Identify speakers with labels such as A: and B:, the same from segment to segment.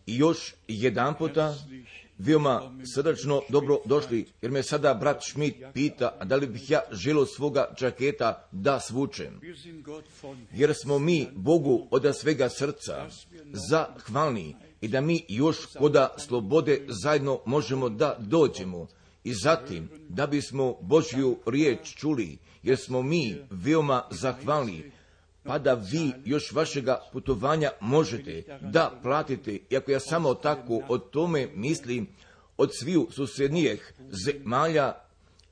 A: I još jedan puta, veoma srdačno dobro došli, jer me sada brat Schmidt pita, da li bih ja želio svoga džaketa da svučem. Jer smo mi Bogu od svega srca zahvalni i da mi još koda slobode zajedno možemo da dođemo. I zatim, da bismo Božju riječ čuli, jer smo mi veoma zahvalni, pa da vi još vašega putovanja možete da platite, iako ja samo tako o tome mislim, od sviju susjednijih zemalja,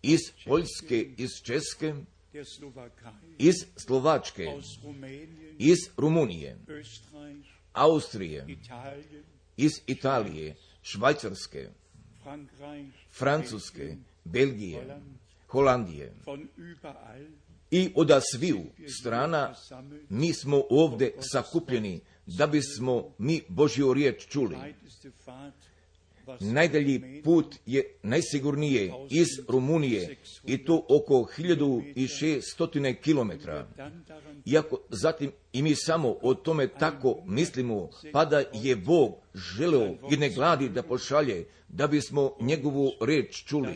A: iz Poljske, iz Česke, iz Slovačke, iz Rumunije, Austrije, iz Italije, Švajcarske, Francuske, Belgije, Holandije. I od sviju strana mi smo ovdje sakupljeni da bismo mi Božju riječ čuli. Najdalji put je najsigurnije iz Rumunije i to oko 1600 kilometara. Iako zatim i mi samo o tome tako mislimo, pa da je Bog želeo jedne gladi da pošalje, da bismo njegovu riječ čuli.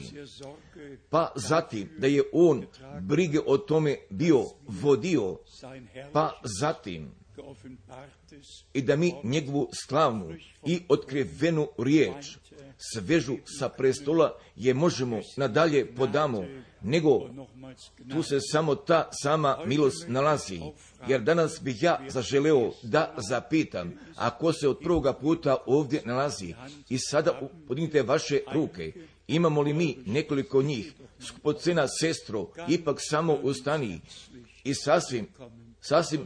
A: Pa zatim da je on brige o tome bio vodio, pa zatim i da mi njegovu slavnu i otkrivenu riječ svežu sa prestola je možemo nadalje podamo, nego tu se samo ta sama milost nalazi. Jer danas bih ja zaželeo da zapitam, ako se od prvoga puta ovdje nalazi i sada podignite vaše ruke, imamo li mi nekoliko njih, skupocena sestro, ipak samo ustani i sasvim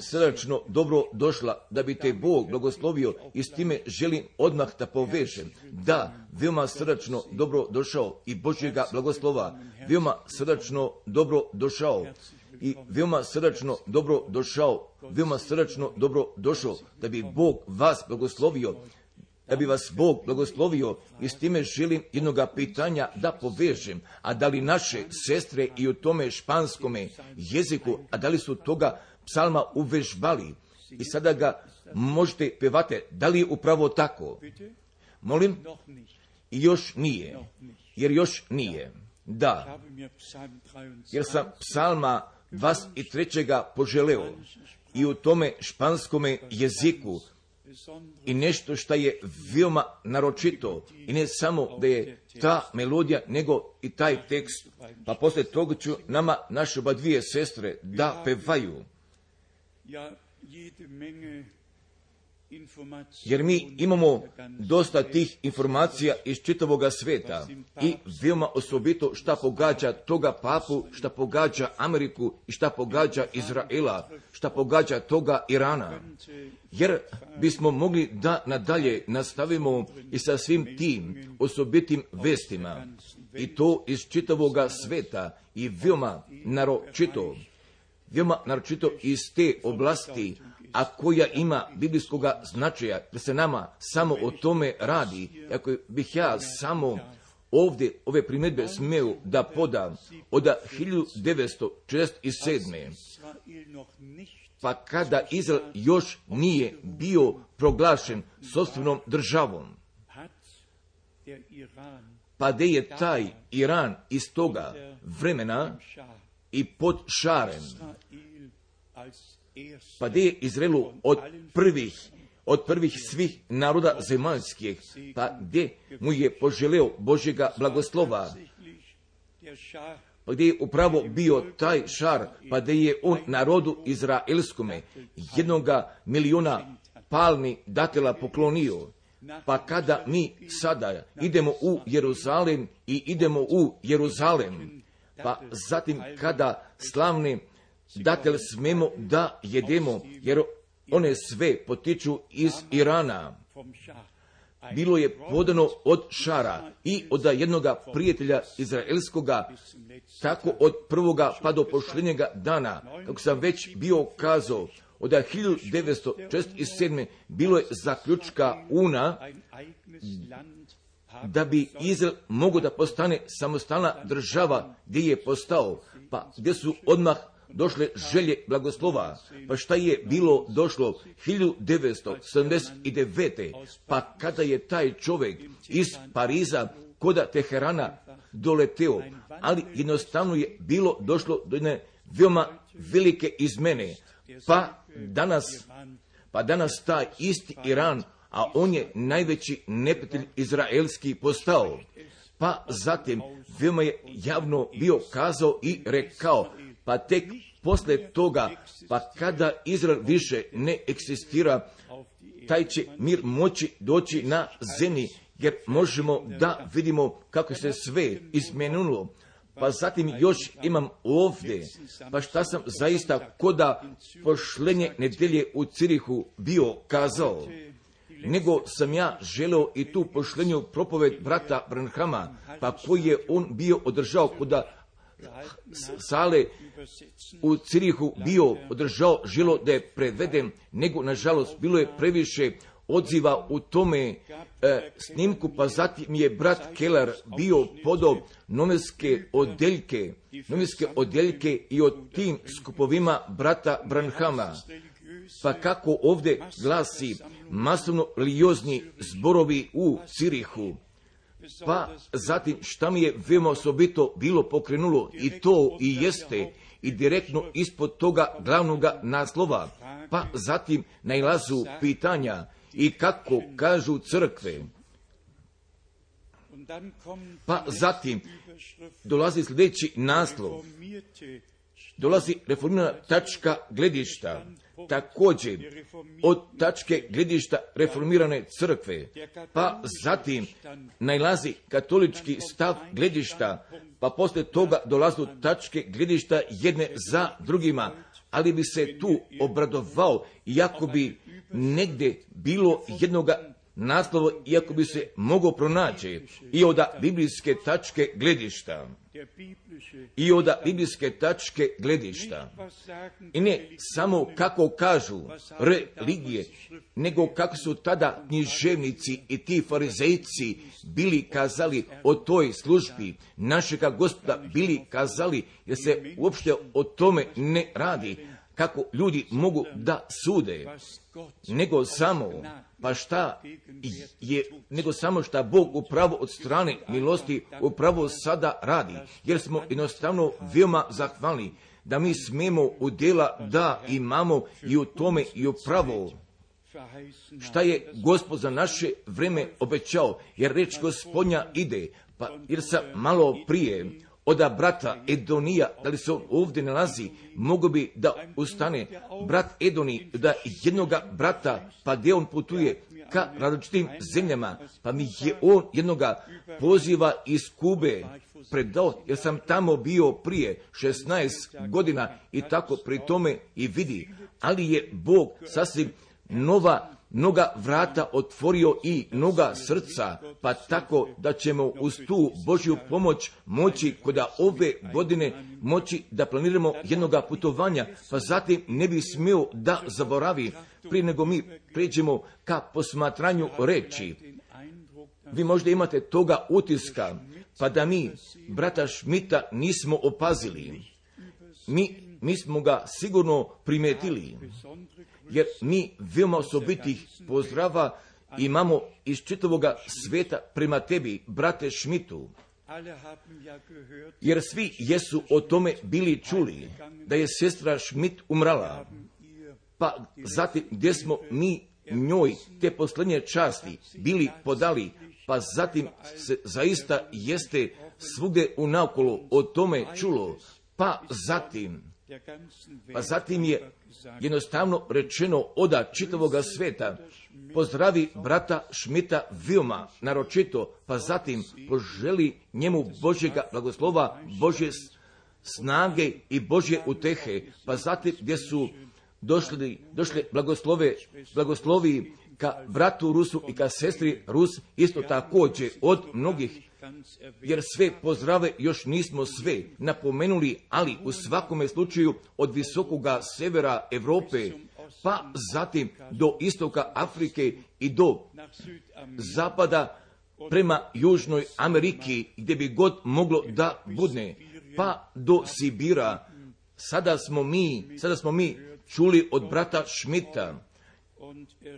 A: srdačno dobro došla, da bi te Bog blagoslovio i s time želim odmah da povežem. Da, veoma srdačno dobro došao i Božjega blagoslova, veoma srdačno dobro došao i veoma srdačno dobro došao, veoma srdačno dobro došao, da bi Bog vas blagoslovio, da bi vas Bog blagoslovio i s time želim jednoga pitanja da povežem, a da li naše sestre i u tome španskome jeziku, a da li su toga psalma uvežbali i sada ga možete pevate, da li je upravo tako? Molim? I još nije, jer još nije. Da, jer sam psalma 23. poželeo i u tome španskome jeziku i nešto što je veoma naročito i ne samo da je ta melodija, nego i taj tekst, pa poslije toga ću nama naše oba dvije sestre da pevaju. Jer mi imamo dosta tih informacija iz čitavoga sveta i veoma osobito šta pogađa toga papu, šta pogađa Ameriku i šta pogađa Izraela, šta pogađa toga Irana. Jer bismo mogli da nadalje nastavimo i sa svim tim osobitim vestima i to iz čitavoga sveta i veoma naročito iz te oblasti, a koja ima biblijskoga značaja, da se nama samo o tome radi. Ako bih ja samo ovdje ove primjedbe smeo da podam od 1947. pa kada Izrael još nije bio proglašen sopstvenom državom, pa gdje je taj Iran iz toga vremena i pod šarem, pa gdje je Izraelu od prvih svih naroda zemaljskih, pa gdje mu je poželeo Božjega blagoslova, pa gdje je upravo bio taj šar, pa gdje je on narodu izraelskome 1 miliona palmi datela poklonio. Pa kada mi sada idemo u Jeruzalem i idemo u Jeruzalem, pa zatim kada slavne datel smemo da jedemo, jer one sve potiču iz Irana. Bilo je podano od šara i od jednoga prijatelja izraelskoga, tako od prvoga pa do posljednjega dana, kako sam već bio kazao, od 1947. bilo je zaključka UNA da bi Izrael mogao da postane samostalna država, gdje je postao, pa gdje su odmah došle želje blagoslova. Pa šta je bilo došlo 1979. pa kada je taj čovjek iz Pariza koda Teherana doleteo, ali jednostavno je bilo došlo do jedne veoma velike izmene. Pa danas taj isti Iran, a on je najveći neprijatelj izraelski postao. Pa zatim veoma je javno bio kazao i rekao, pa tek posle toga, pa kada Izrael više ne eksistira, taj će mir moći doći na zemlji, jer možemo da vidimo kako se sve izmenilo. Pa zatim još imam ovdje, pa šta sam zaista koda pošlenje nedelje u Cirihu bio kazao, nego sam ja želeo i tu pošlenju propoved brata Branhama, pa koji je on bio održao koda sale u Cirihu bio održao, želo da je preveden, nego nažalost bilo je previše odziva u tome snimku, pa zatim je brat Keller bio podao novinske odjeljke i o tim skupovima brata Branhama. Pa kako ovdje glasi masovno religiozni zborovi u Cirihu. Pa zatim šta mi je veoma osobito bilo pokrenulo, i to i jeste i direktno ispod toga glavnoga naslova. Pa zatim nailazu pitanja i kako kažu crkve. Pa zatim dolazi sljedeći naslov. Dolazi reformirana tačka gledišta. Također od tačke gledišta reformirane crkve. Pa zatim nailazi katolički stav gledišta. Pa poslije toga dolazu tačke gledišta jedne za drugima. Ali bi se tu obradovao, iako bi negdje bilo jednoga naslova, iako bi se mogao pronaći i od biblijske tačke gledišta. I ne samo kako kažu religije, nego kako su tada književnici i ti farizejci bili kazali o toj službi našega Gospoda, bili kazali, jer se uopšte o tome ne radi, kako ljudi mogu da sude, nego samo šta Bog upravo od strane milosti upravo sada radi, jer smo jednostavno veoma zahvalni da mi smemo udjela da imamo i u tome i upravo šta je Gospod za naše vreme obećao, jer reč Gospodnja ide, pa jer sam malo prije od brata Edonija, da li se on ovdje nalazi, mogu bi da ustane brat Edoni, da jednoga brata, pa gdje on putuje ka različitim zemljama, pa mi je on jednoga poziva iz Kube predao, jer sam tamo bio prije 16 godina i tako pri tome i vidi, ali je Bog sasvim mnoga vrata otvorio i mnoga srca, pa tako da ćemo uz tu Božju pomoć moći kod ove godine moći da planiramo jednoga putovanja, pa zatim ne bi smio da zaboravi prije nego mi pređemo ka posmatranju reči. Vi možda imate toga utiska, pa da mi brata Šmita nismo opazili. Mi smo ga sigurno primetili, jer mi veoma osobitih pozdrava imamo iz čitavoga sveta prema tebi, brate Šmitu. Jer svi jesu o tome bili čuli, da je sestra Šmit umrala. Pa zatim gdje smo mi njoj te posljednje časti bili podali, pa zatim se zaista jeste svugdje unaokolo o tome čulo, pa zatim je jednostavno rečeno od čitavoga sveta, pozdravi brata Šmita veoma naročito, pa zatim poželi njemu Božjega blagoslova, Božje snage i Božje utehe, pa zatim gdje su došle blagoslovi ka bratu Rusu i ka sestri Rus, isto također od mnogih, jer sve pozdrave još nismo sve napomenuli, ali u svakome slučaju od visokoga severa Europe, pa zatim do istoka Afrike i do zapada prema Južnoj Ameriki, gdje bi god moglo da budne, pa do Sibira, sada smo mi čuli od brata Schmidta,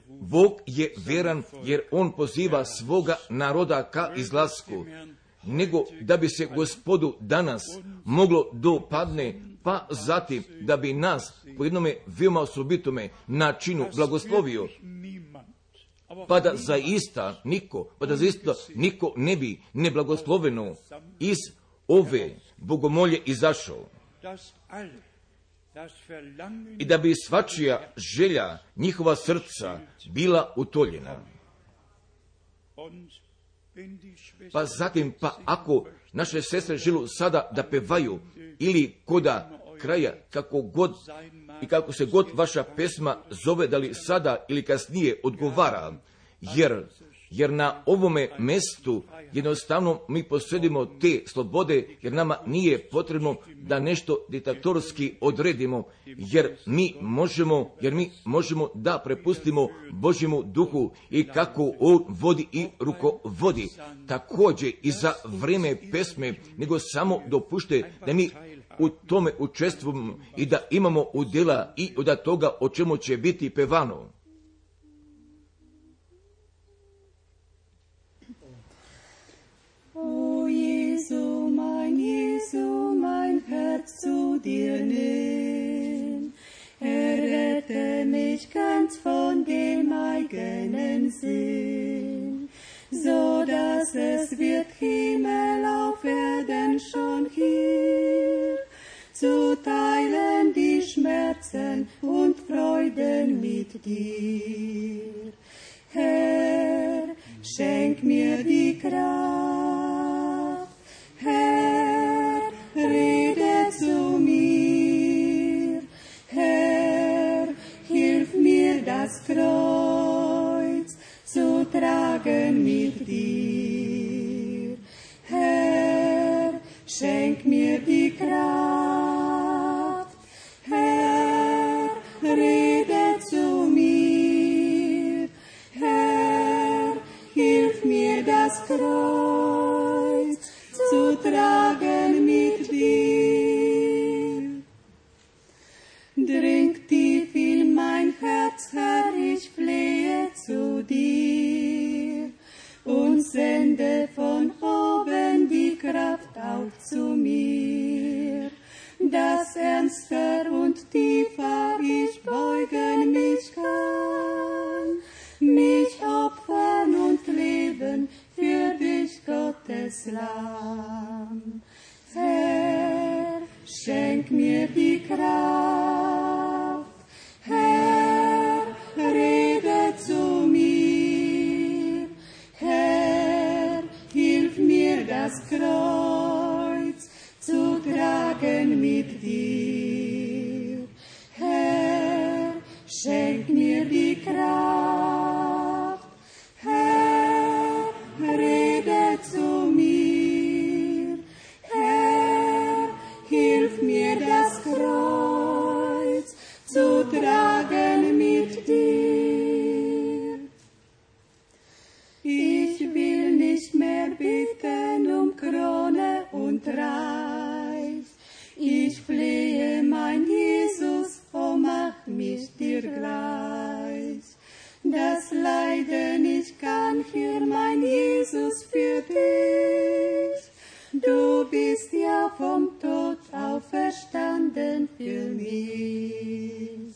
A: Bog je vjeran jer on poziva svoga naroda ka izlasku, nego da bi se Gospodu danas moglo dopadne, pa zatim da bi nas po jednome veoma osobitome načinu blagoslovio, pa da zaista niko ne bi neblagosloveno iz ove bogomolje izašao. I da bi svačija želja njihova srca bila utoljena. Pa zatim, ako naše sestre žele sada da pevaju ili koda kraja, kako se god vaša pesma zove, da li sada ili kasnije odgovara, jer na ovome mjestu jednostavno mi posjedimo te slobode, jer nama nije potrebno da nešto diktatorski odredimo, jer mi možemo da prepustimo Božjemu duhu i kako on vodi i rukovodi. Također i za vrijeme pesme, nego samo dopušte da mi u tome učestvujemo i da imamo udjela i od toga o čemu će biti pevano.
B: O Jesu, mein Herz zu dir nimm, errette mich ganz von dem eigenen Sinn, so dass es wird Himmel auf Erden schon hier, zu teilen die Schmerzen und Freuden mit dir. Herr, schenk mir die Kraft, Herr, rede zu mir, Herr, hilf mir das Kreuz zu tragen mit dir. Herr, schenk mir die Kraft, Herr, rede zu mir, Herr, hilf mir das Kreuz zu tragen mit dir. Dringt tief in mein Herz, Herr, ich flehe zu dir und sende von oben die Kraft auf zu mir, dass ernster und tiefer ich beugen mich kann, mich opfern und leben für dich, Gottes Lamm. Herr, schenk mir die Kraft, Herr, rede zu mir, Herr, hilf mir das Kreuz zu tragen mit dir. Herr, schenk mir die Kraft, Herr, rede zu mir, Herr, hilf mir das Kreuz zu tragen mit dir. Ich will nicht mehr bitten um Krone und Reich, ich flehe, mein Jesus, oh mach mich dir gleich. Das Leiden ich kann hier, mein Jesus, für dich. Du bist ja vom Tod auferstanden für mich.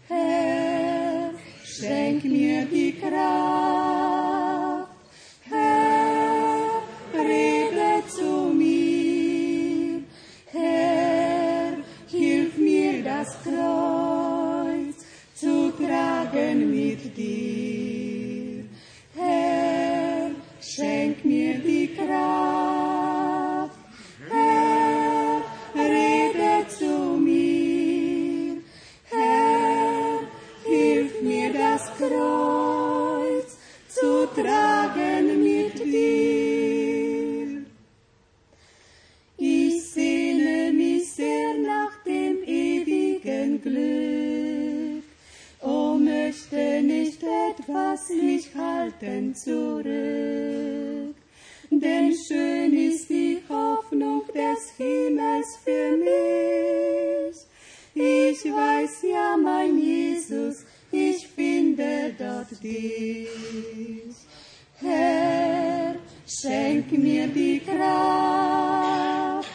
B: Herr, schenk mir die Kraft, Herr, rede zu mir, Herr, hilf mir das Kreuz zu tragen mit dir. Herr, schenk mir die Kraft, Herr, rede zu mir, Herr, hilf mir das Kreuz zu tragen mit dir. Ich sehne mich sehr nach dem ewigen Glück, oh, möchte nicht etwas mich halten zurück, denn schön ist die Hoffnung des Himmels für mich, weiß ja mein Jesus, ich finde dort dich. Herr, schenk mir die Kraft,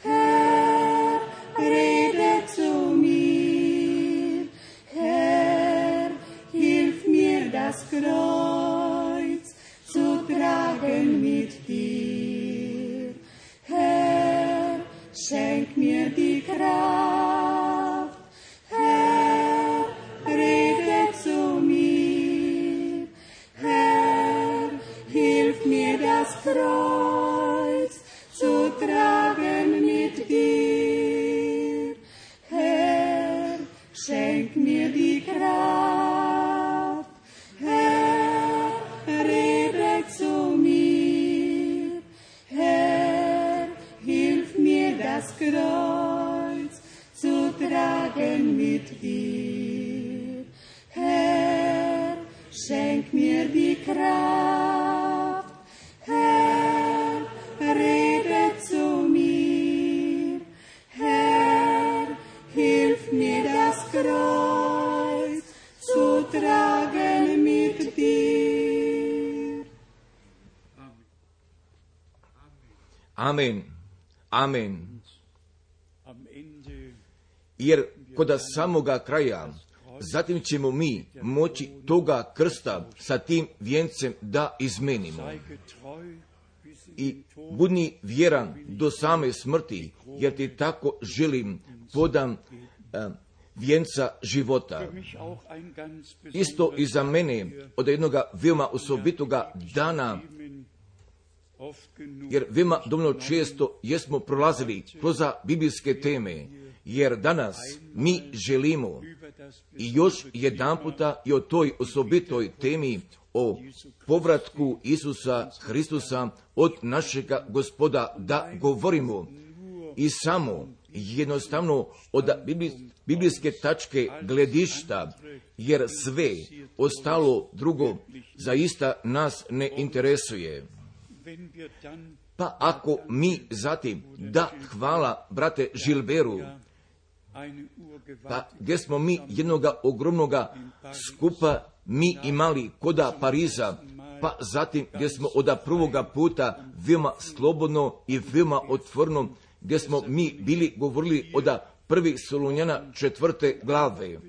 B: Herr, rede zu mir, Herr, hilf mir das Kreuz zu tragen mit dir. Herr, schenk mir die Kraft, Herr, rede zu mir, Herr, hilf mir das Kreuz zu tragen mit dir. Herr, schenk mir die Kraft, Herr, rede zu mir, Herr, hilf mir das Kreuz zu tragen mit dir. Herr, schenk mir die Kraft, Herr, rede zu mir, Herr, hilf mir das Kreuz zu tragen mit dir.
A: Amen. Amen. Jer kod samoga kraja, zatim ćemo mi moći toga krsta sa tim vijencem da izmenimo. I budni vjeran do same smrti, jer ti tako želim podam vijenca života. Isto i za mene od jednoga veoma osobitoga dana, jer veoma dovoljno često jesmo prolazili kroz biblijske teme, jer danas mi želimo i još jedan puta i o toj osobitoj temi o povratku Isusa Hristusa od našega Gospoda da govorimo i samo jednostavno od biblijske tačke gledišta, jer sve ostalo drugo zaista nas ne interesuje. Pa ako mi zatim, da hvala brate Žilberu, pa gdje smo mi jednoga ogromnoga skupa mi imali koda Pariza, pa zatim gdje smo od prvoga puta veoma slobodno i veoma otvorno, gdje smo mi bili govorili od 1. Solunjana 4. glave,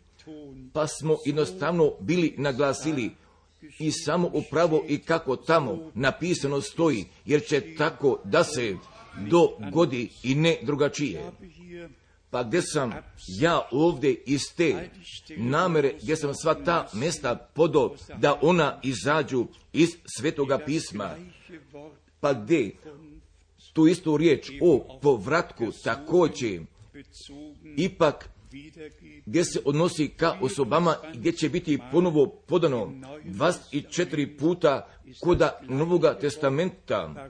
A: pa smo jednostavno bili naglasili i samo upravo i kako tamo napisano stoji, jer će tako da se dogodi i ne drugačije. Pa gdje sam ja ovdje iz te namere, gdje sam sva ta mjesta podao da ona izađu iz Svetoga pisma, pa gdje tu istu riječ o povratku također ipak gdje se odnosi ka osobama, gdje će biti ponovo podano 24 puta koda Novoga testamenta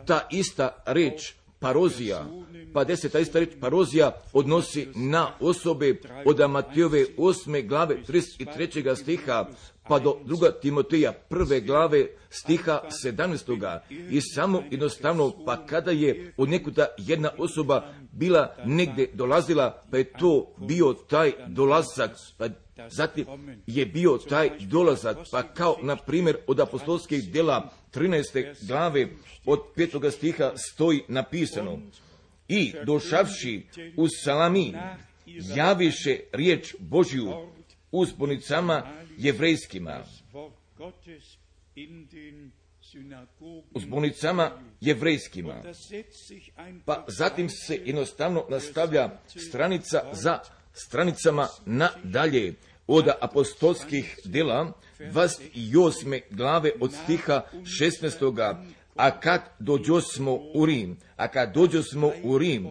A: ta ista riječ parozija, pa gdje se ta ista riječ parozija odnosi na osobe od Matejove 8. glave 33. stiha pa do 2. Timoteja 1. glave stiha 17. I samo jednostavno, pa kada je od nekuda jedna osoba bila negdje dolazila, pa je to bio taj dolazak, pa zatim je bio taj dolazak, pa kao na primjer od apostolskih djela 13. glave od 5. stiha stoji napisano: i došavši u Salamin, javiše riječ Božju u zbornicama jevrejskima. U zbornicama jevrejskima. Pa zatim se jednostavno nastavlja stranica za stranicama nadalje od apostolskih djela 28. glave od stiha 16. A kad dođosmo u Rim,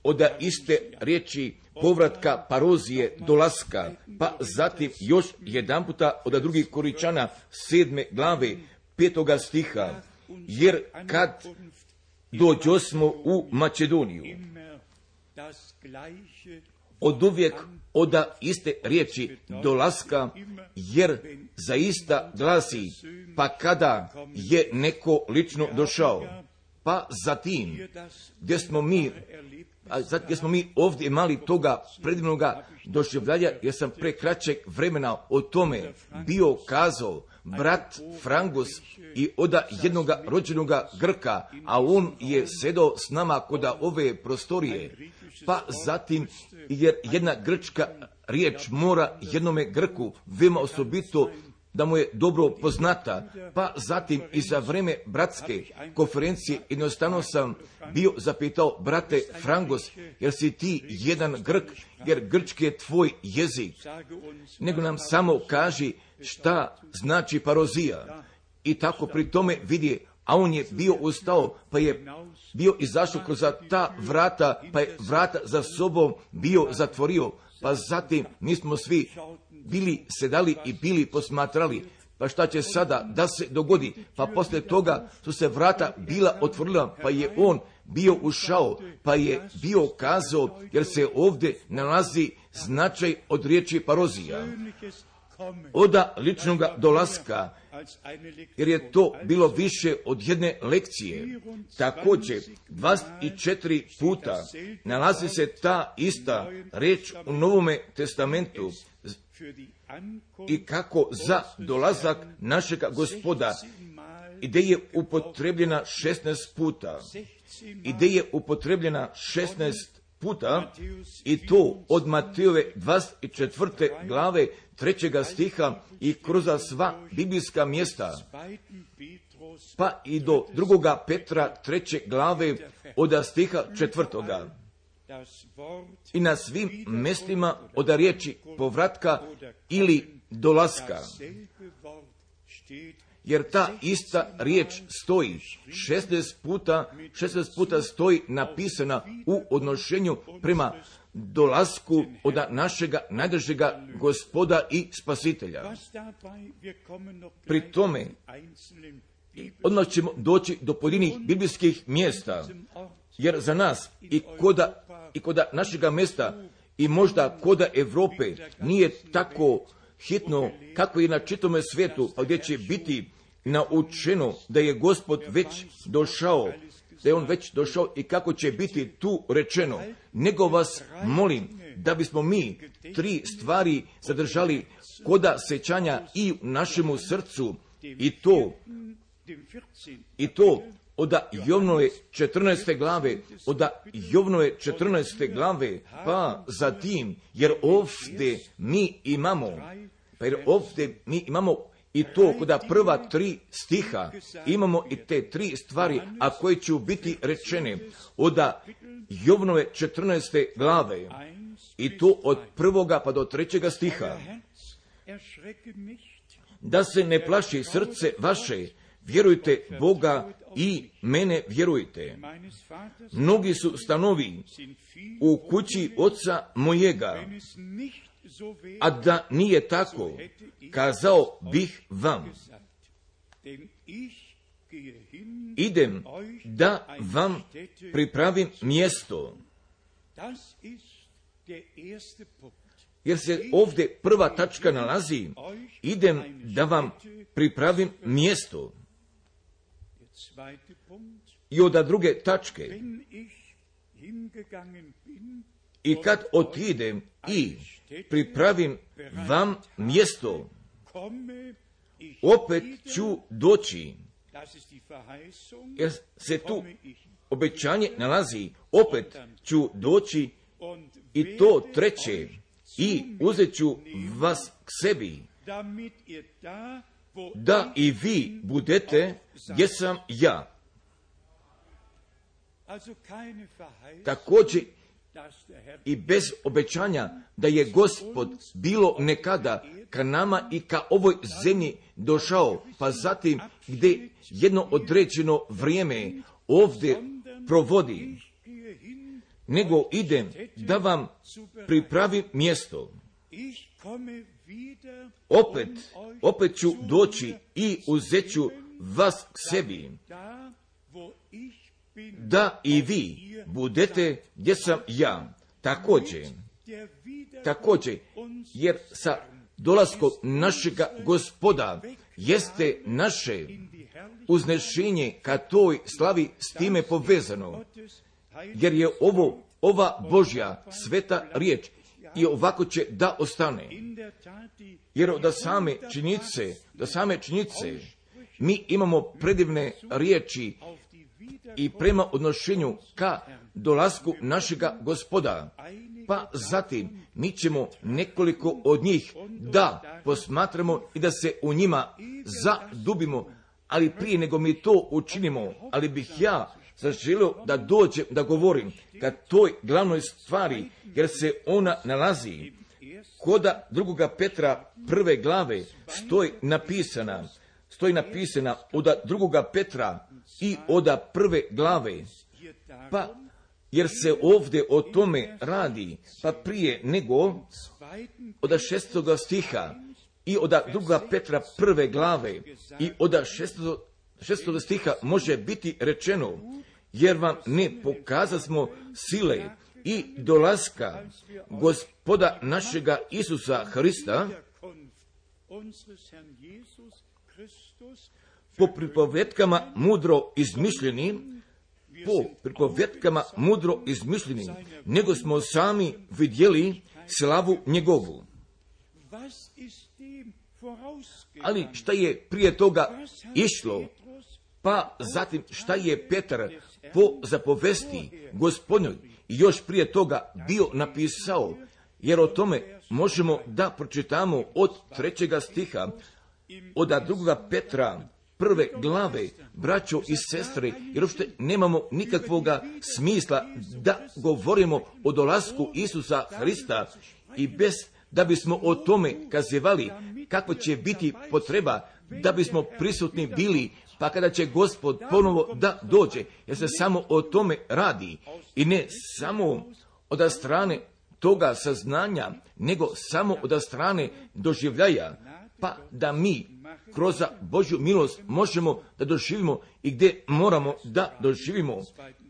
A: od iste riječi povratka parozije dolaska, pa zatim još jedan puta od 2. Koričana 7. glave 5. stiha, jer kad dođosmo u Makedoniju, od uvijek od iste riječi dolaska, jer zaista glasi, pa kada je neko lično došao, pa zatim, gdje smo mi ovdje imali toga predivnoga doživljaja, jer sam pre kraćeg vremena o tome bio kazao, brat Frangus i oda jednoga rođenoga Grka, a on je sedao s nama kod ove prostorije, pa zatim, jer jedna grčka riječ mora jednome Grku veoma osobito da mu je dobro poznata, pa zatim i za vreme bratske konferencije jednostavno sam bio zapitao, brate Frangos, jer si ti jedan Grk, jer grčki je tvoj jezik, nego nam samo kaži šta znači parozija. I tako pri tome vidi, a on je bio ustao, pa je bio izašao kroz ta vrata, pa je vrata za sobom bio zatvorio, pa zatim mi smo svi bili sedali i bili posmatrali, pa šta će sada da se dogodi, pa poslije toga su se vrata bila otvorila, pa je on bio ušao, pa je bio kazao, jer se ovdje nalazi značaj od riječi parozija, oda ličnoga dolaska, jer je to bilo više od jedne lekcije. Također, 24 puta nalazi se ta ista reč u Novome testamentu i kako za dolazak našega Gospoda, i gdje je upotrebljena 16 puta, i gdje je upotrebljena 16 puta, i to od Matejove 24. glave 3. stiha i kroz sva biblijska mjesta, pa i do 2. Petra 3. glave od stiha 4. I na svim mjestima od riječi povratka ili dolaska, jer ta ista riječ stoji 16 puta stoji napisana u odnošenju prema dolasku od našega najdražega Gospoda i Spasitelja. Pri tome, odmah ćemo doći do pojedinih biblijskih mjesta, jer za nas i koda našega mjesta i možda koda Europe nije tako hitno kako i na čitome svijetu, a gdje će biti naučeno da je Gospod već došao, da je on već došao i kako će biti tu rečeno, nego vas molim da bismo mi 3 stvari zadržali koda sećanja i u našemu srcu, i to od Jovnove 14. glave, pa zatim, jer ovdje mi imamo i to kod prva 3 stiha, imamo i te 3 stvari, a koje će biti rečene od Jovnove 14. glave, i to od 1. pa do 3. stiha. Da se ne plaši srce vaše, vjerujte Boga i mene vjerujte. Mnogi su stanovi u kući oca mojega, a da nije tako, kazao bih vam. Idem da vam pripravim mjesto. Jer se ovdje prva tačka nalazi, idem da vam pripravim mjesto. I od druge tačke, i kad otidem i pripravim vam mjesto, opet ću doći. Jer se tu obećanje nalazi, opet ću doći, i to 3. i uzet ću vas k sebi, da i vi budete gdje sam ja. Također i bez obećanja da je Gospod bilo nekada ka nama i ka ovoj zemlji došao, pa zatim gdje jedno određeno vrijeme ovdje provodi, nego idem da vam pripravim mjesto. Opet ću doći i uzet ću vas k sebi, da i vi budete gdje sam ja. Također, jer sa dolaskom našega Gospoda jeste naše uznešenje ka toj slavi s time povezano, jer je ova Božja sveta riječ i ovako će da ostane. Jer da same činjenice mi imamo predivne riječi i prema odnošenju ka dolasku našega Gospoda. Pa zatim mi ćemo nekoliko od njih da posmatramo i da se u njima zadubimo, ali prije nego mi to učinimo, ali bih ja zaželio da dođem da govorim ka toj glavnoj stvari, jer se ona nalazi koda 2. Petra 1. glave stoji napisana od 2. Petra i od 1. glave, pa jer se ovdje o tome radi, pa prije nego od 6. stiha i od 2. Petra 1. glave i od 6. stiha može biti rečeno, jer vam ne pokazasmo sile i dolaska Gospoda našega Isusa Hrista po pripovetkama mudro izmišljeni, nego smo sami vidjeli slavu njegovu. Ali šta je prije toga išlo? Pa zatim šta je Petar po zapovesti Gospodnjoj još prije toga bio napisao, jer o tome možemo da pročitamo od 3. stiha, od 2. Petra 1. glave, braćo i sestre, jer uopšte nemamo nikakvoga smisla da govorimo o dolasku Isusa Hrista i bez da bismo o tome kazivali kako će biti potreba da bismo prisutni bili, pa kada će Gospod ponovo da dođe, jer se samo o tome radi i ne samo od strane toga saznanja, nego samo od strane doživljaja, pa da mi kroz Božju milost možemo da doživimo i gdje moramo da doživimo.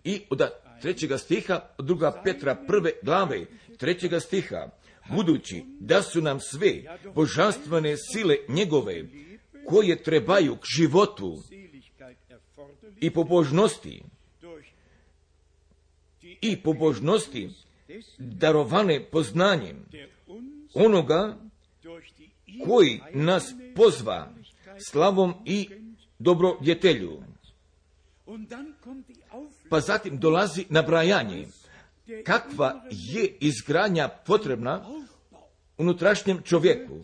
A: I od 3. stiha, od 2. Petra 1. glave, 3. stiha, budući da su nam sve božanstvene sile njegove, koje trebaju k životu i pobožnosti darovane poznanjem onoga koji nas pozva slavom i dobrodjetelju. Pa zatim dolazi nabrajanje kakva je izgradnja potrebna unutrašnjem čovjeku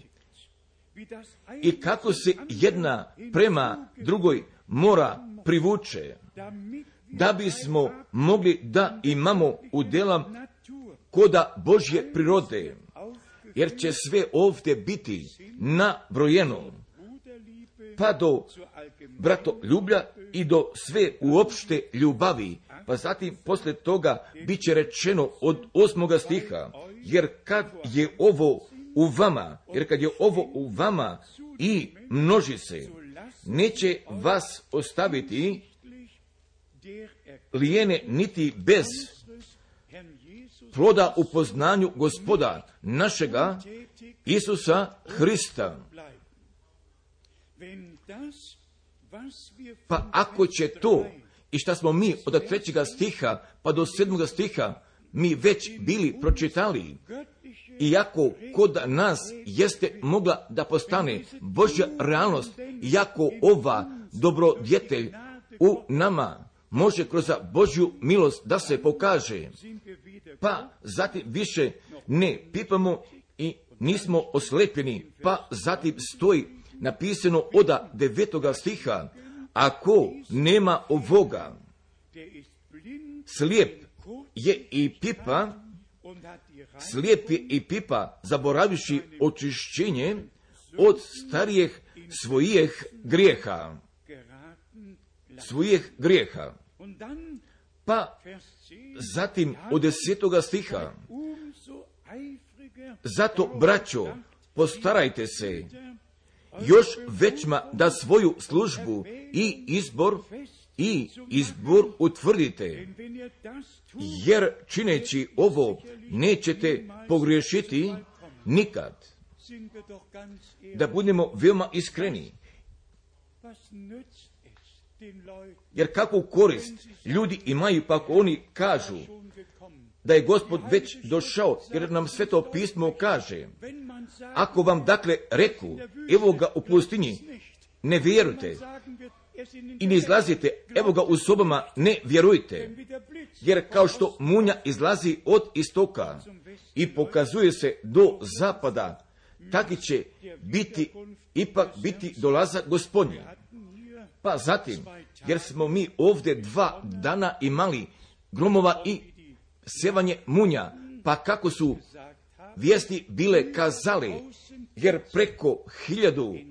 A: i kako se jedna prema drugoj mora privuče, da bismo mogli da imamo udjela koda Božje prirode, jer će sve ovdje biti nabrojeno, pa do bratoljublja i do sve uopšte ljubavi. Pa zatim poslije toga bit će rečeno od 8. stiha, jer kad je ovo u vama i množi se, neće vas ostaviti lijene niti bez ploda u poznanju Gospoda našega Isusa Hrista. Pa ako će to i šta smo mi od 3. stiha pa do 7. stiha mi već bili pročitali, iako kod nas jeste mogla da postane Božja realnost, iako ova dobrodjetelj u nama može kroz Božju milost da se pokaže, pa zatim više ne pipamo i nismo oslepljeni, pa zatim stoji napisano od 9. stiha, ako nema ovoga, slijep je i pipa, zaboraviši očišćenje od starijih svojih grijeha. Pa zatim od 10. stiha, zato, braćo, postarajte se još većma da svoju službu i izbor utvrdite, jer čineći ovo nećete pogriješiti nikad. Da budemo veoma iskreni, Jer kakvu korist ljudi imaju pa ako oni kažu da je Gospod već došao, jer nam Sveto pismo kaže, ako vam dakle reku, evo ga u pustinji, ne vjerujte i ne izlazite, evo ga u sobama, ne vjerujte, jer kao što munja izlazi od istoka i pokazuje se do zapada, taki će ipak biti dolazak Gospodnji. Pa zatim, jer smo mi ovdje 2 dana imali gromova i sevanje munja, pa kako su vijesti bile kazale, jer preko 1000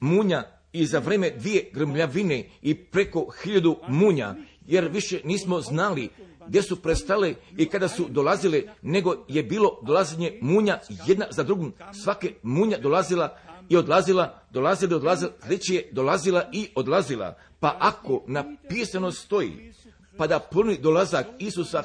A: munja i za vreme 2 grmljavine i preko 1000 munja, jer više nismo znali gdje su prestale i kada su dolazile, nego je bilo dolazenje munja jedna za drugom, svake munja dolazila i odlazila, sljedeće je dolazila i odlazila. Pa ako napisano stoji, pa da puni dolazak Isusa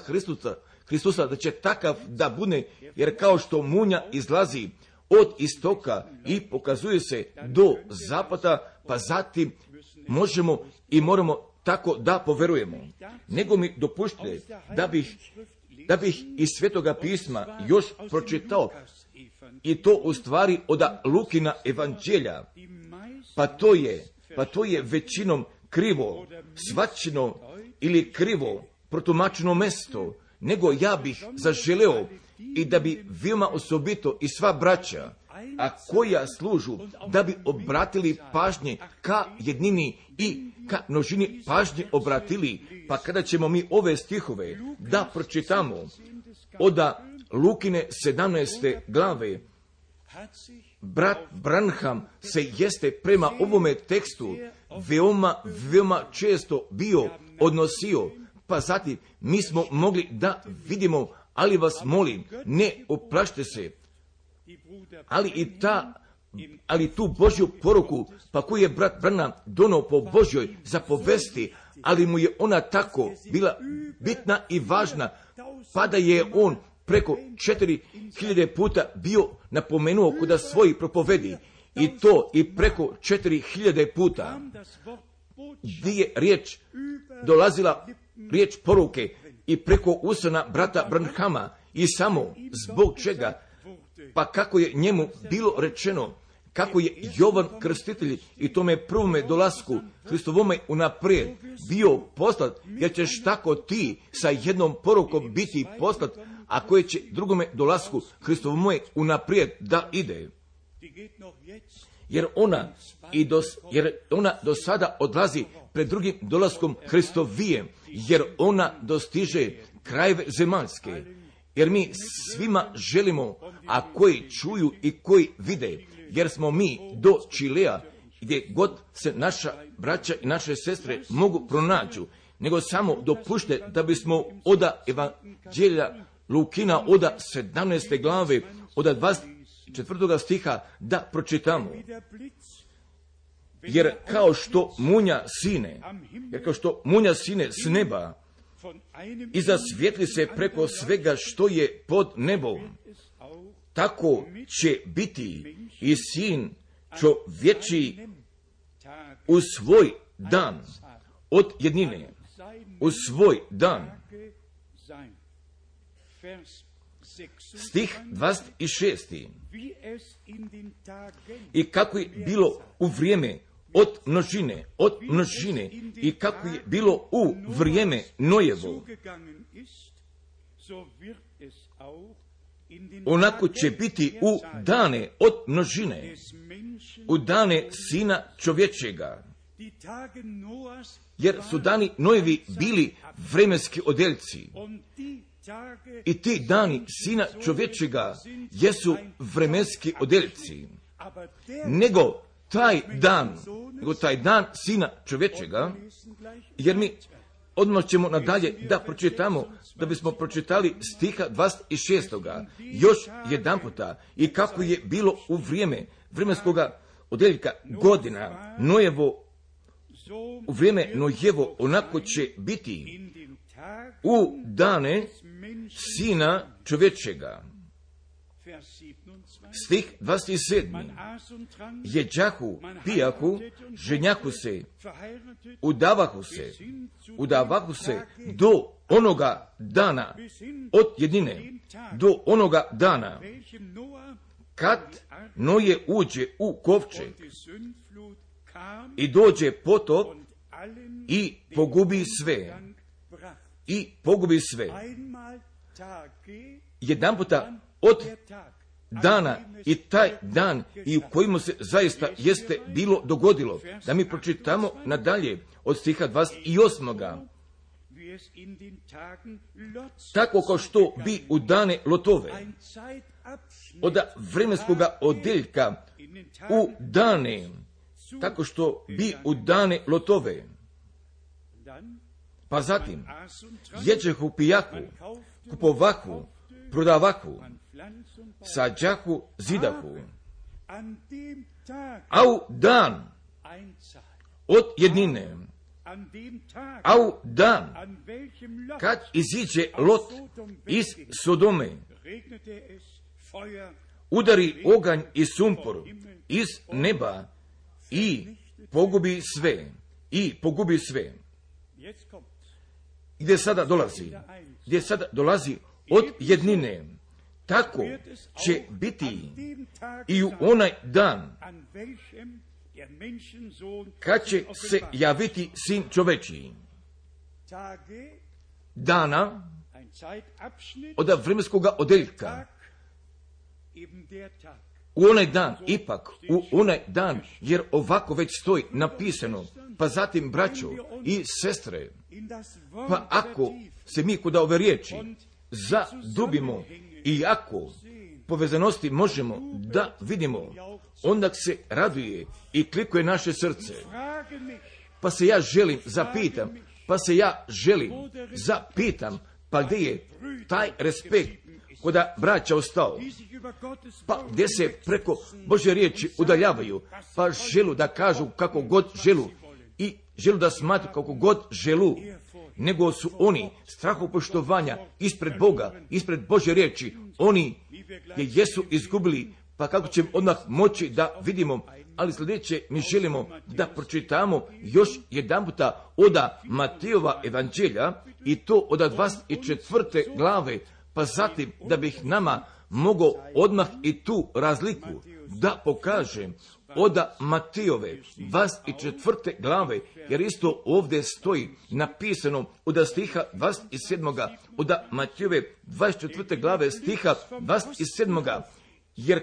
A: Hristusa, da će takav da bude, jer kao što munja izlazi od istoka i pokazuje se do zapada, pa zatim možemo i moramo tako da poverujemo. Nego mi dopušte da bih iz Svetoga pisma još pročitao, i to u stvari od Lukina evanđelja, pa to je većinom krivo shvaćeno ili krivo protumačeno mesto, nego ja bih zaželeo i da bi veoma osobito i sva braća, a koja služu, da bi obratili pažnje ka jednini i ka množini pažnje obratili, pa kada ćemo mi ove stihove da pročitamo od Lukine 17. glave, brat Branham se jeste prema ovome tekstu veoma često bio odnosio, pa zatim mi smo mogli da vidimo, ali vas molim, ne oplašte se, ali tu Božju poruku, pa koju je brat Branham donao po Božjoj zapovesti, ali mu je ona tako bila bitna i važna, pa da je on preko 4000 puta bio napomenuo kod svojih propovedi, i to i preko 4000 puta gdje je dolazila riječ poruke i preko usana brata Branhama, i samo zbog čega, pa kako je njemu bilo rečeno, kako je Jovan Krstitelj i tome prvome dolasku Hristovome unaprijed bio poslat, jer ćeš tako ti sa jednom porukom biti poslat, a koje će drugome dolasku Hristovome unaprijed da ide. Jer ona do sada odlazi pred drugim dolaskom Hristovijem, jer ona dostiže krajeve zemaljske. Jer mi svima želimo, a koji čuju i koji vide, jer smo mi do Čilea, gdje god se naša braća i naše sestre mogu pronađu, nego samo dopušte da bismo od evanđelja Lukina od 17. glave, od 24. stiha da pročitamo. Jer kao što munja sine s neba i zasvijetli se preko svega što je pod nebom, tako će biti i sin čovječiji u svoj dan od jednine, u svoj dan. Stih 26. I kako je bilo u vrijeme od množine i kako je bilo u vrijeme Nojevo, onako će biti u dane od množine, u dane Sina čovječega. Jer su dani Nojevi bili vremenski odeljci, i ti dani Sina čovječega jesu vremenski odeljci. Nego taj dan Sina čovječega, jer mi odmah ćemo nadalje da pročitamo, da bismo pročitali stiha 26. još jedan puta, i kako je bilo u vrijeme vremenskoga odeljka godina Nojevo, u vrijeme Nojevo, onako će biti u dane Sina čovječega. Stih 27. Jeđahu, pijahu, ženjahu se, udavahu se do onoga dana, od jednine, do onoga dana, kad Noje uđe u kovčeg i dođe potop i pogubi sve. I pogubi sve. Jedan puta od dana i taj dan i u kojemu se zaista jeste bilo dogodilo. Da mi pročitamo nadalje od stiha 28. Tako kao što bi u dane Lotove, od vremenskoga odeljka u dane, tako što bi u dane Lotove. Pa zatim, jeđehu, pijahu, kupovahu, prodavahu, sađahu, zidahu. A u dan od jednine, a u dan kad iziđe Lot iz Sodome, udari oganj i sumpor iz neba i pogubi sve. I pogubi sve. Gdje sada dolazi od jednine. Tako će biti i u onaj dan kad će se javiti Sin čovečiji. Dana od vremenskoga odeljka. U onaj dan, ipak, u onaj dan, jer ovako već stoji napisano, pa zatim, braćo i sestre, pa ako se mi kod ove riječi zadubimo i ako povezanosti možemo da vidimo, onda se raduje i klikuje naše srce. Pa se ja želim zapitam, pa gdje je taj respekt koda braća ostao, pa gdje se preko Božje riječi udaljavaju, pa želu da kažu kako god želu i želu da smatru kako god želu, nego su oni strahopoštovanja ispred Boga, ispred Božje riječi, oni je jesu izgubili, pa kako ćemo odmah moći da vidimo. Ali sljedeće mi želimo da pročitamo još jedan puta od Matejova evanđelja i to od 24. glave, pa zatim da bih nama mogao odmah i tu razliku da pokažem od Matejove 24. glave, jer isto ovdje stoji napisano od stiha 27. od Matejove 24. glave stiha 27. jer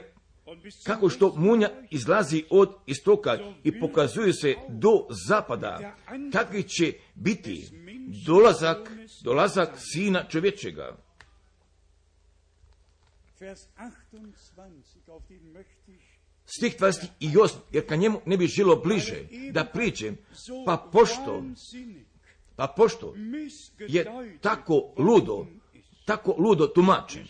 A: kako što munja izlazi od istoka i pokazuje se do zapada, takvi će biti dolazak Sina čovječega. Stih 28, jer ka njemu ne bi želo bliže da priđem, pa pošto je tako ludo tumačen,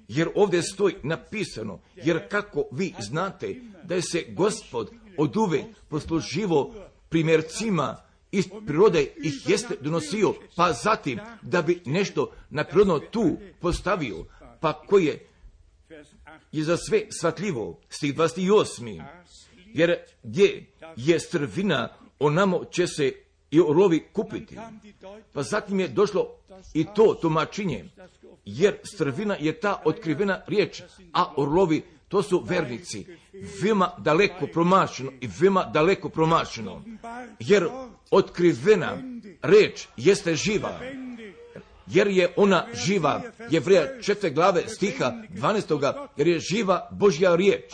A: jer ovdje stoji napisano, jer kako vi znate da je se Gospod oduvek posluživo primjercima iz prirode ih jeste donosio, pa zatim da bi nešto naprirodno tu postavio, pa koje je za sve shvatljivo. Stih 28. Jer gdje je strvina, onamo će se i orlovi kupiti. Pa zatim je došlo i to tumačenje, jer strvina je ta otkrivena riječ, a orlovi to su vernici. Veoma daleko promašeno, jer otkrivena riječ jeste živa, jer je ona živa. Jevreja 4. glave stiha 12. jer je živa Božja riječ.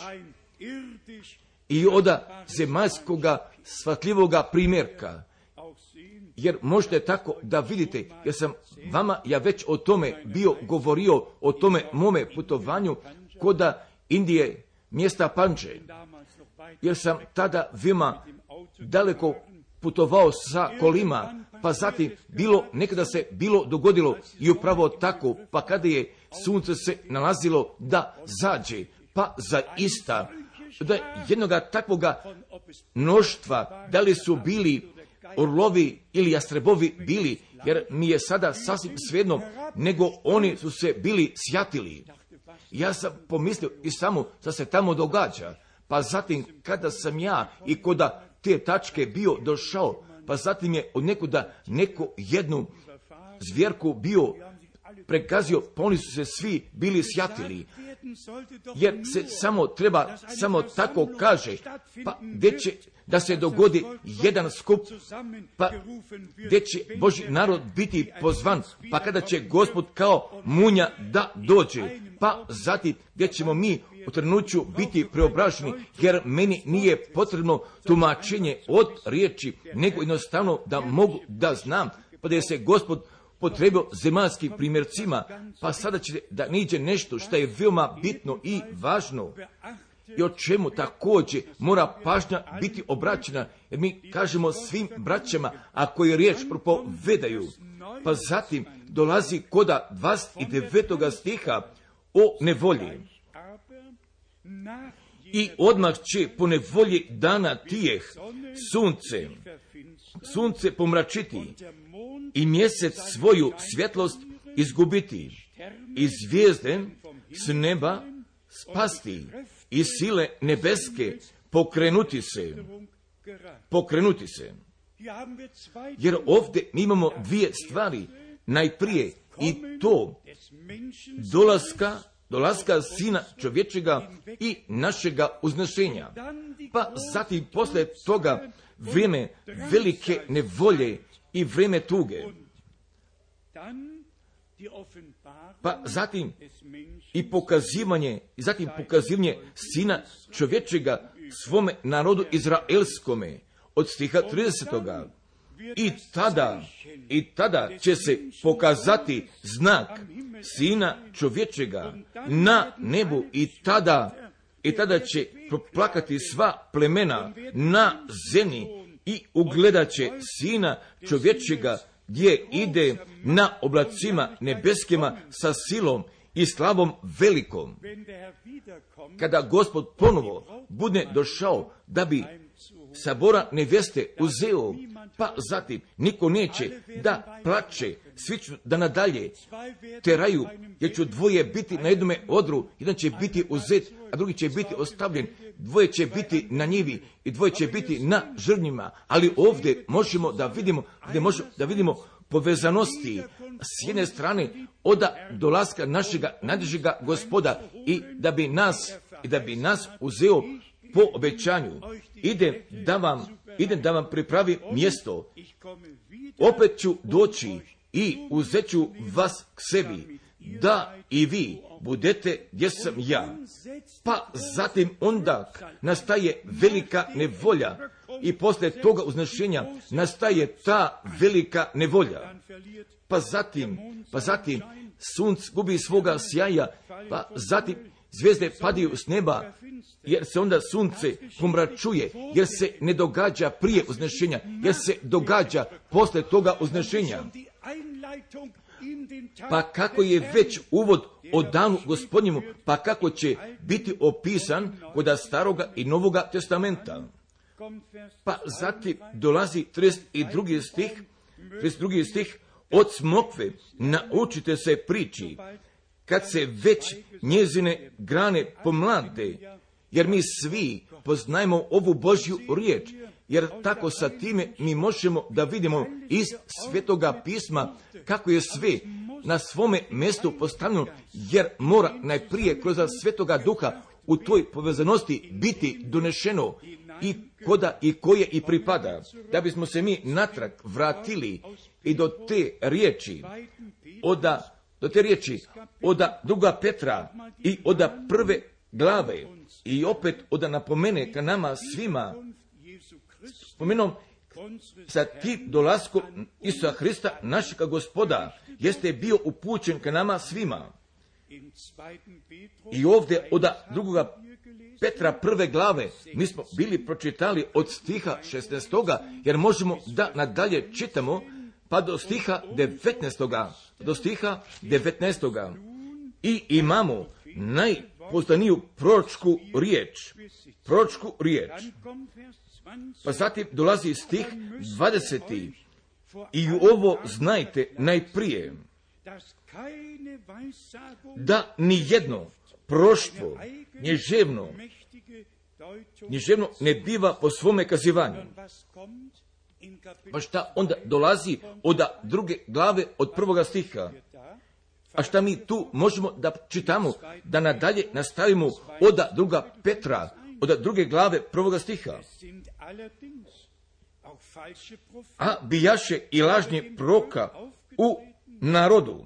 A: I od zemaljskoga shvatljivoga primjerka. Jer možete tako da vidite, jer sam vama ja već o tome bio govorio, o tome mome putovanju koda Indije, mjesta Pandže. Jer sam tada veoma daleko putovao sa kolima, pa zatim nekada se bilo dogodilo i upravo tako, pa kada je sunce se nalazilo da zađe, pa zaista da jednoga takvoga mnoštva, da li su bili orlovi ili jastrebovi bili, jer mi je sada sasvim svejedno, nego oni su se bili sjatili. Ja sam pomislio i samo što se tamo događa. Pa zatim kada sam ja i kod te tačke bio došao, pa zatim je od nekuda neko jednu zvjerku bio prekazio, pa oni su se svi bili sjatili. Jer se samo tako kaže, pa gdje će da se dogodi jedan skup, pa gdje će Božji narod biti pozvan, pa kada će Gospod kao munja da dođe, pa zatim gdje ćemo mi u trenuću biti preobraženi, jer meni nije potrebno tumačenje od riječi, nego jednostavno da mogu da znam, pa da je se Gospod potrebio zemaljskim primjercima, pa sada će da niđe nešto što je veoma bitno i važno i o čemu također mora pažnja biti obraćena, jer mi kažemo svim braćama, ako je riječ propovedaju, pa zatim dolazi koda 29. stiha o nevolji. I odmah će po nevolji dana tijeh sunce pomračiti i mjesec svoju svjetlost izgubiti i zvijezde s neba spasti i sile nebeske pokrenuti se. Jer ovdje mi imamo dvije stvari. Najprije i to dolaska Sina čovječega i našega uznešenja. Pa zatim posle toga vrijeme velike nevolje i vrijeme tuge. Pa zatim i pokazivanje Sina čovječega svome narodu izraelskome od stiha 30. I tada će se pokazati znak Sina čovječega na nebu i tada će proplakati sva plemena na zemlji i ugledat će Sina čovječega gdje ide na oblacima nebeskima sa silom i slavom velikom. Kada Gospod ponovo bude došao da bi sabora nevjeste uzeo, pa zatim niko neće da plače, svi ću da nadalje teraju, jer će dvoje biti na jednome odru, jedan će biti uzet, a drugi će biti ostavljen, dvoje će biti na njivi i dvoje će biti na žrvnjima, ali ovdje možemo da vidimo povezanosti s jedne strane od dolaska našega najdražega Gospoda i da bi nas uzeo po obećanju. Idem da vam pripravim mjesto. Opet ću doći i uzet ću vas k sebi, da i vi budete gdje sam ja. Pa zatim onda nastaje velika nevolja i poslije toga uznešenja nastaje ta velika nevolja. Pa zatim sunce gubi svoga sjaja, pa zatim zvijezde padaju s neba, jer se onda sunce pomračuje, jer se ne događa prije uznešenja, jer se događa poslije toga uznešenja. Pa kako je već uvod o danu Gospodnjemu, pa kako će biti opisan kod Staroga i Novoga testamenta. Pa zatim dolazi 32. stih, od smokve naučite se priči, kad se već njezine grane pomlade, jer mi svi poznajemo ovu Božju riječ, jer tako sa time mi možemo da vidimo iz Svetoga pisma kako je sve na svome mjestu postavljeno, jer mora najprije kroz Svetoga Duha u toj povezanosti biti donešeno i koda i koje i pripada, da bismo se mi natrag vratili i do te riječi, od druga Petra i od prve glave i opet od napomene ka nama svima, spomenom sa tim dolaskom Isusa Hrista, našega Gospoda, jeste bio upućen ka nama svima. I ovdje od drugoga Petra prve glave mi smo bili pročitali od stiha 16. jer možemo da nadalje čitamo pa do stiha 19. I imamo najpoznaniju proročku riječ. Pa zatim dolazi stih 20. I ovo znajte najprije, da ni jedno proštvo književno ne biva po svome kazivanju. Pa šta onda dolazi od druge glave od 1. stiha? A šta mi tu možemo da čitamo, da nadalje nastavimo od 2. Petra, od 2. glave 1. stiha? A bijaše i lažni proroka u narodu,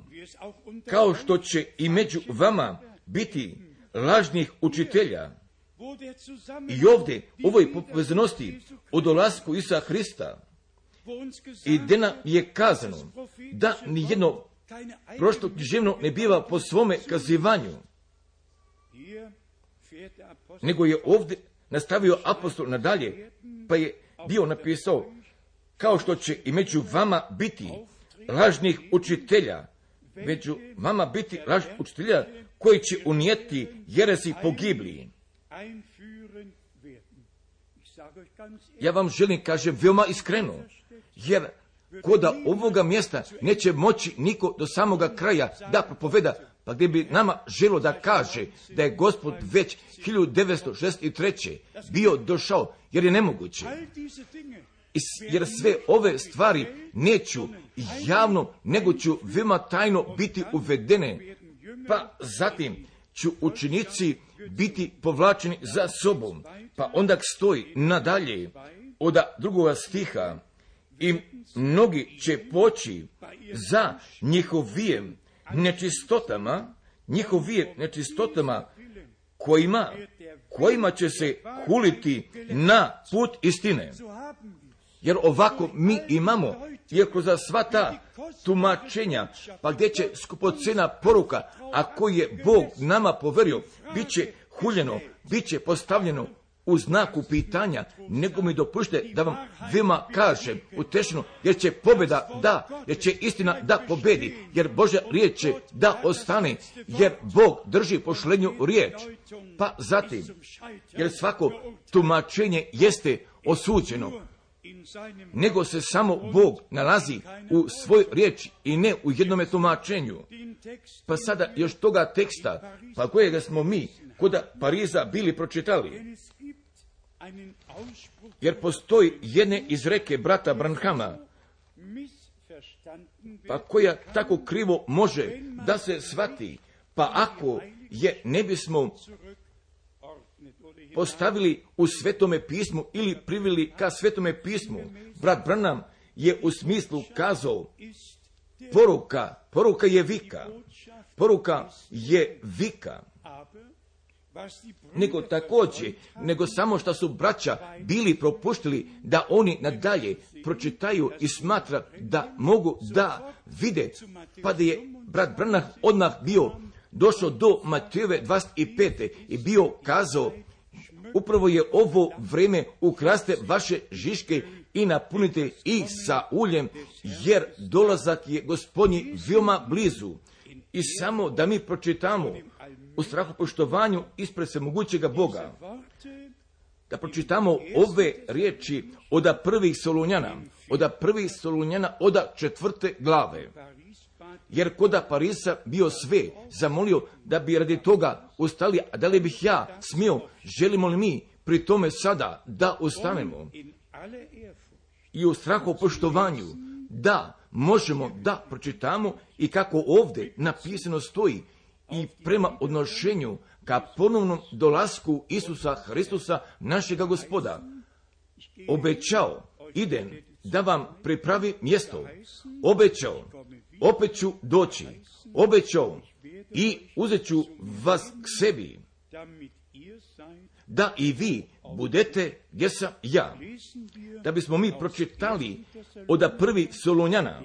A: kao što će i među vama biti lažnih učitelja. I ovdje, ovoj povezanosti o dolasku Isusa Hrista, i gdje nam je kazano da nijedno prošto književno ne biva po svome kazivanju, nego je ovdje nastavio apostol nadalje, pa je bio napisao, kao što će i među vama biti lažnih učitelja, među vama biti lažnih učitelja koji će unijeti jeresi pogibli. Ja vam želim, kaže, veoma iskreno, jer kod ovoga mjesta neće moći niko do samoga kraja da propoveda, pa gdje bi nama želo da kaže da je Gospod već 1963. bio došao, jer je nemoguće. Jer sve ove stvari neću javno, nego ću veoma tajno biti uvedene, pa zatim ću učenici biti povlačeni za sobom. Pa onda stoji nadalje od 2. stiha, i mnogi će poći za njihovim nečistotama, kojima će se huliti na put istine. Jer ovako mi imamo, iako za sva ta tumačenja, pa gdje će skupocena poruka, a koju je Bog nama poverio, bit će huljeno, bit će postavljeno u znaku pitanja, nego mi dopušte da vam veoma kažem utešeno, jer će pobjeda jer će istina da pobedi, jer Božja riječ će da ostane, jer Bog drži pošlenju riječ. Pa zatim, jer svako tumačenje jeste osuđeno, nego se samo Bog nalazi u svoj riječi i ne u jednome tumačenju. Pa sada još toga teksta, pa kojega smo mi kod Pariza bili pročitali. Jer postoji jedne izreke brata Branhama, pa koja tako krivo može da se shvati, pa ako je ne bismo postavili u Svetome pismu ili priveli ka Svetome pismu, brat Branham je u smislu kazao, poruka je vika, poruka je vika. Nego samo što su braća bili propuštili da oni nadalje pročitaju i smatra da mogu da vide, pa da je brat Branham odmah bio došao do Matejove 25. i bio kazao, upravo je ovo vreme, ukraste vaše žiške i napunite ih sa uljem, jer dolazak je Gospodnji veoma blizu. I samo da mi pročitamo u strahopoštovanju ispred svemogućega Boga, da pročitamo ove riječi od 1. Solunjana, od 4. glave. Jer kod Parisa bio sve zamolio da bi radi toga ustali, a da li bih ja smio, želimo li mi pri tome sada da ustanemo i u strahopoštovanju da možemo da pročitamo i kako ovdje napisano stoji, i prema odnošenju ka ponovnom dolasku Isusa Hristusa, našega Gospoda, obećao, idem da vam pripravi mjesto, obećao, opet ću doći, obećao i uzet ću vas k sebi, da i vi budete gdje sam ja. Da bismo mi pročitali od 1. Solunjana,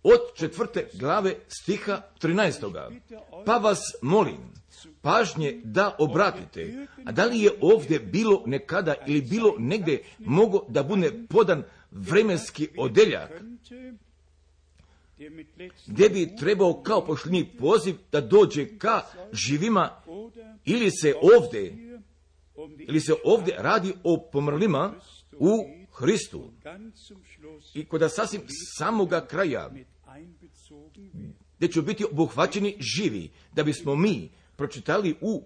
A: od 4. glave stiha 13. Pa vas molim, pažnje da obratite, a da li je ovdje bilo nekada ili bilo negdje mogo da bude podan vremenski odeljak, gdje bi trebao kao pošljeni poziv da dođe ka živima, ili se ovdje radi o pomrlima u Hristu. I kod sasvim samoga kraja gdje će biti obuhvaćeni živi, da bismo mi pročitali u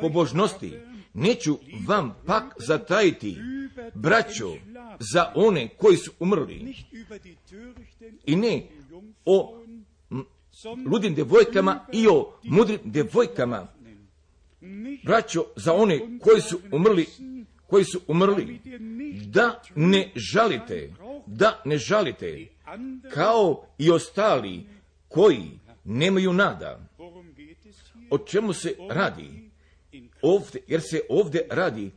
A: pobožnosti. Neću vam pak zatajiti, braćo, za one koji su umrli, i ne o ludim djevojkama i o mudrim djevojkama, braćo, za one koji su umrli, da ne žalite, kao i ostali koji nemaju nada. O čemu se radi ovdje? Jer se ovdje radi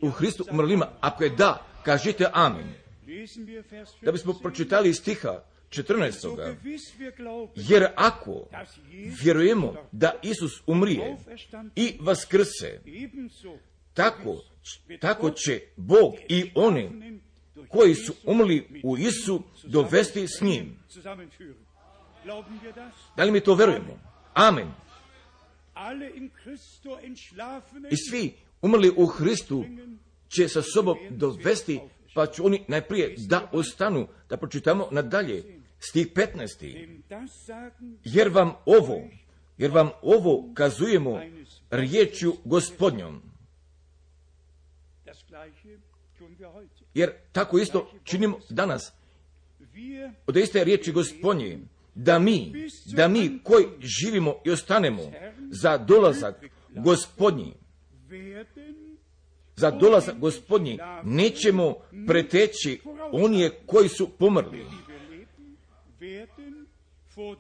A: u Hristu umrlima. Ako je da, kažite amen. Da bismo pročitali stiha 14. Jer ako vjerujemo da Isus umrije i vaskrse, tako će Bog i one koji su umrli u Isu dovesti s njim. Da li mi to verujemo? Amen. I svi umrli u Hristu će sa sobom dovesti, pa će oni najprije da ostanu. Da pročitamo nadalje, stih 15. Jer vam ovo kazujemo riječju Gospodnjom. Jer tako isto činimo danas. Od iste riječi Gospodnje, da mi koji živimo i ostanemo za dolazak Gospodnji, nećemo preteći onije koji su pomrli.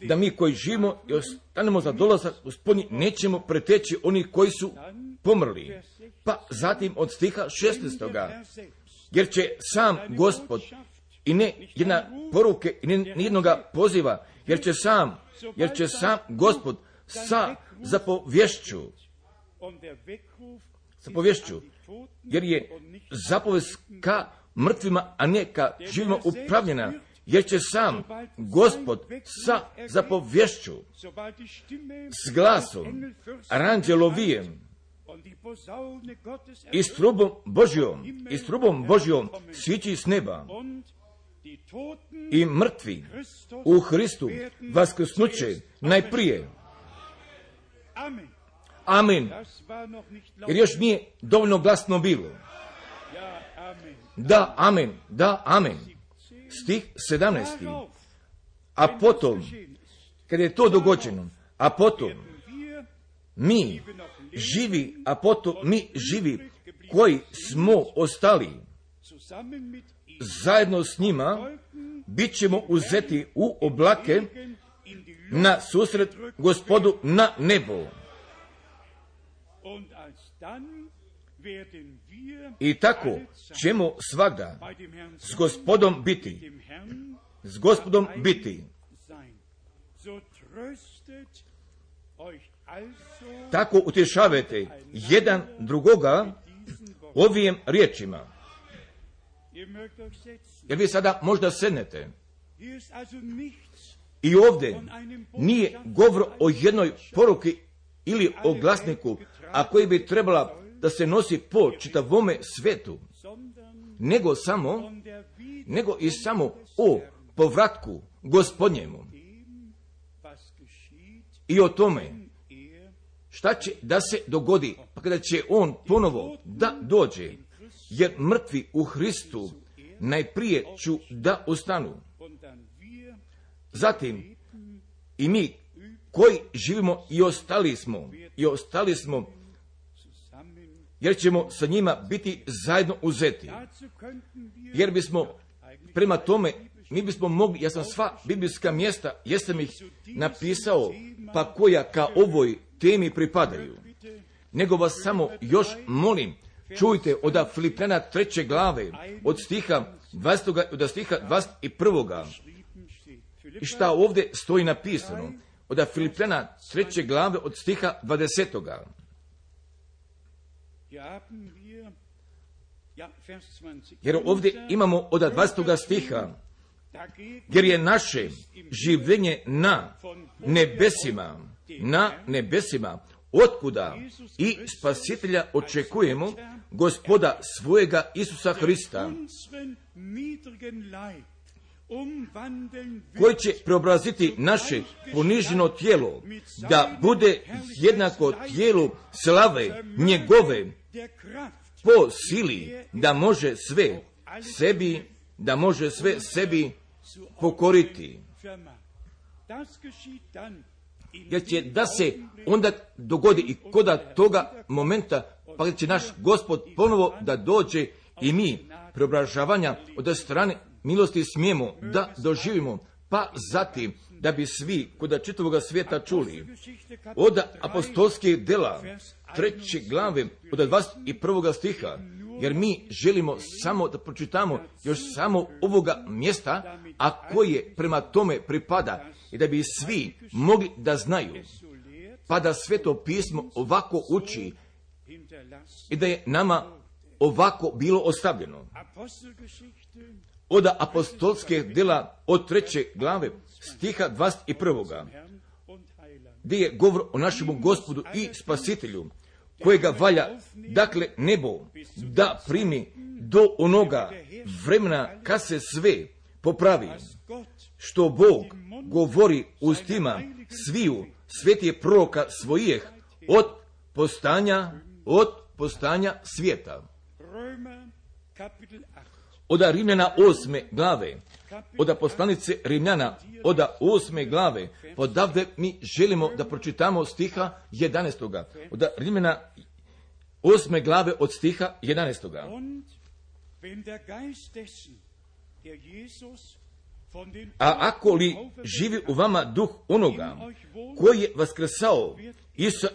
A: Da mi koji živimo i ostanemo za dolazak Gospodnji, nećemo preteći onih koji su pomrli. Pa zatim od stiha 16. Jer će sam Gospod, i ne jedna poruke, i ne jednoga poziva, jer će sam Gospod sa zapovješću, jer je zapovest ka mrtvima, a ne ka živima upravljena, jer će sam Gospod sa zapovješću, s glasom aranđelovijem i s trubom Božjom svići s neba, i mrtvi u Hristu vaskrsnuće najprije. Amen. Jer još nije dovoljno glasno bilo. Da, amen, da, amen. Stih 17. A potom, kad je to dogođeno, a potom mi živi koji smo ostali, zajedno s njima bit ćemo uzeti u oblake na susret Gospodu na nebo. I tako ćemo svagda s Gospodom biti. Tako utješavajte jedan drugoga ovim riječima. Jer vi sada možda sednete i ovdje nije govor o jednoj poruki ili o glasniku, a koji bi trebala da se nosi po čitavome svetu, nego i samo o povratku Gospodnjemu i o tome šta će da se dogodi, pa kada će on ponovo da dođe, jer mrtvi u Hristu najprije ću da ostanu. Zatim i mi koji živimo i ostali smo, jer ćemo sa njima biti zajedno uzeti. Jer bismo prema tome, mi bismo mogli, ja sam sva biblijska mjesta, jesam ih napisao, pa koja ka ovoj temi pripadaju. Nego vas samo još molim, čujte od Filipljana 3. glave, od stiha 20. od stiha 21. I šta ovdje stoji napisano, od Filipljana 3. glave, od stiha 20. Jer ovdje imamo od 20. stiha, jer je naše življenje na nebesima, otkuda i Spasitelja očekujemo, Gospoda svojega Isusa Hrista, koji će preobraziti naše poniženo tijelo, da bude jednako tijelu slave njegove, po sili da može sve sebi pokoriti. Jer će da se onda dogodi i koda toga momenta, pa će naš Gospod ponovo da dođe i mi preobražavanja od strane milosti smijemo da doživimo, pa zatim da bi svi kod čitavoga svijeta čuli od apostolskih dela 3. glave od 21. stiha, jer mi želimo samo da pročitamo još samo ovoga mjesta, a koje prema tome pripada, i da bi svi mogli da znaju, pa da Sveto pismo ovako uči i da je nama ovako bilo ostavljeno. Od apostolske dela od 3. glave stiha 21. gdje je govor o našemu Gospodu i Spasitelju, kojega valja, dakle, nebo da primi do onoga vremena kad se sve popravi, što Bog govori ustima sviju svetih proroka svojih od postanja svijeta. Od Rimljana 8. glave, od poslanice Rimljana, od 8. glave, odavde mi želimo da pročitamo stiha 11. Od Rimljana 8. glave od stiha 11. A ako li živi u vama duh onoga koji je vaskrsao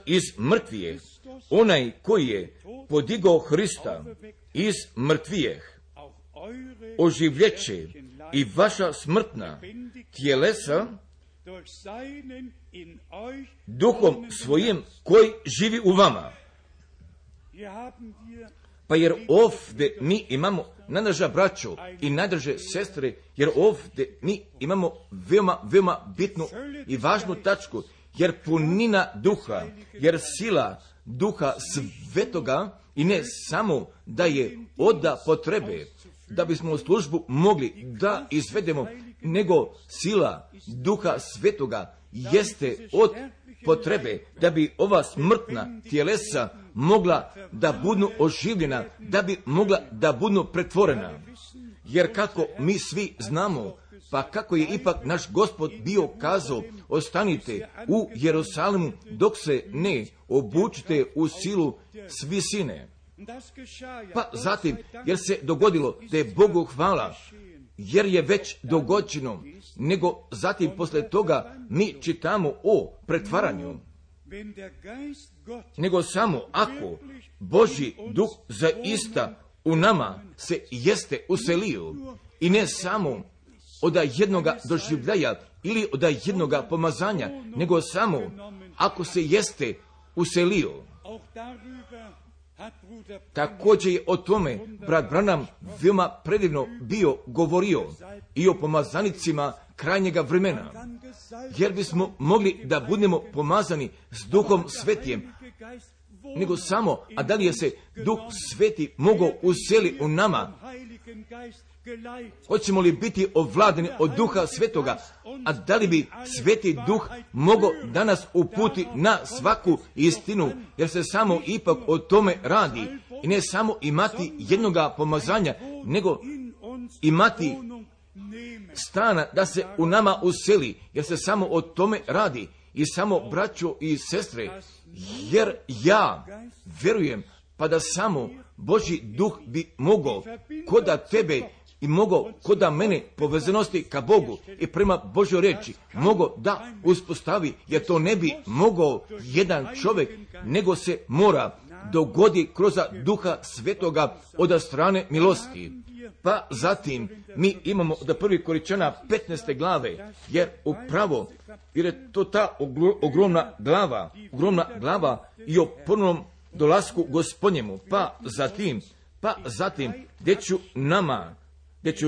A: iz mrtvijeh, onaj koji je podigao Hrista iz mrtvijeh, oživljeće i vaša smrtna tjelesa duhom svojim koji živi u vama. Pa jer ovdje mi imamo, najdraža braćo i najdraže sestre, jer ovdje mi imamo veoma bitnu i važnu tačku, jer punina duha, jer sila duha svetoga, i ne samo da je od potrebe da bismo u službu mogli da izvedemo, nego sila duha svetoga jeste od potrebe da bi ova smrtna tjelesa mogla da budu oživljena, da bi mogla da budu pretvorena. Jer kako mi svi znamo, pa kako je ipak naš Gospod bio kazao, ostanite u Jerusalimu dok se ne obučite u silu s visine. Pa zatim, jer se dogodilo da je Bogu hvala, jer je već dogođeno, nego zatim posle toga mi čitamo o pretvaranju. Nego samo ako Božji duh zaista u nama se jeste uselio, i ne samo od jednoga doživljaja ili od jednoga pomazanja, nego samo ako se jeste uselio. Također je o tome brat Branham veoma predivno bio govorio i o pomazanicima krajnjega vremena, jer bismo mogli da budemo pomazani s Duhom Svetijem, nego samo, a da li je se Duh Sveti mogao useli u nama? Hoćemo li biti ovladani od Duha Svetoga, a da li bi Sveti Duh mogao da nas uputi na svaku istinu, jer se samo ipak o tome radi, i ne samo imati jednoga pomazanja, nego imati stana da se u nama useli, jer se samo o tome radi. I samo, braćo i sestre, jer ja verujem, pa da samo Božji duh bi mogao koda tebe i mogao koda mene povezanosti ka Bogu i prema Božjoj reči mogao da uspostavi, jer to ne bi mogao jedan čovjek, nego se mora dogodi kroz Duha Svetoga od strane milosti. Pa zatim mi imamo od 1. Korinćana 15. glave, jer upravo, jer je to ta ogromna glava i o ponovnom dolasku Gospodnjemu. Pa zatim, gdje ću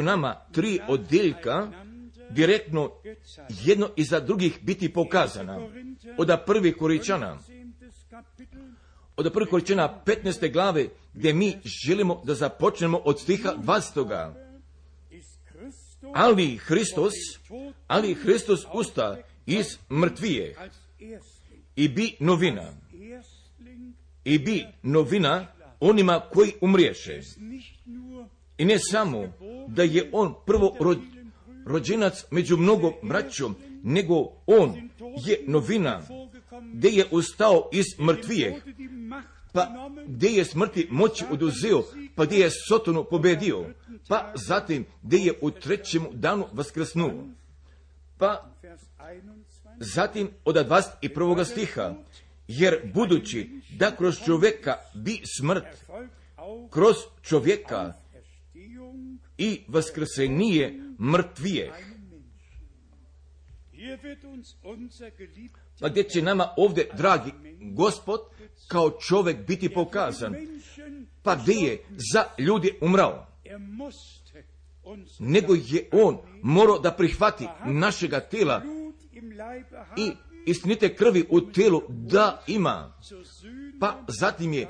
A: nama 3 odjeljka direktno jedno iza drugih biti pokazana. Od 1. Korinćana 15. glave, gdje mi želimo da započnemo od stiha 20. ali Hristos usta iz mrtvijeh i bi novina onima koji umriješe. I ne samo da je on prvo rođenac među mnogo braćom, nego on je novina gdje je ustao iz mrtvijeh, pa gdje je smrti moći oduzeo, pa gdje je Sotonu pobedio, pa zatim gdje je u trećem danu vaskrsnuo. Pa zatim od 21. stiha, jer budući da kroz čovjeka bi smrt, kroz čovjeka i vaskrsenije mrtvijeh. Pa gdje će nama ovdje, dragi Gospod, kao čovjek biti pokazan? Pa gdje je za ljudi umrao? Nego je on morao da prihvati našega tela i istinite krvi u telu da ima. Pa zatim je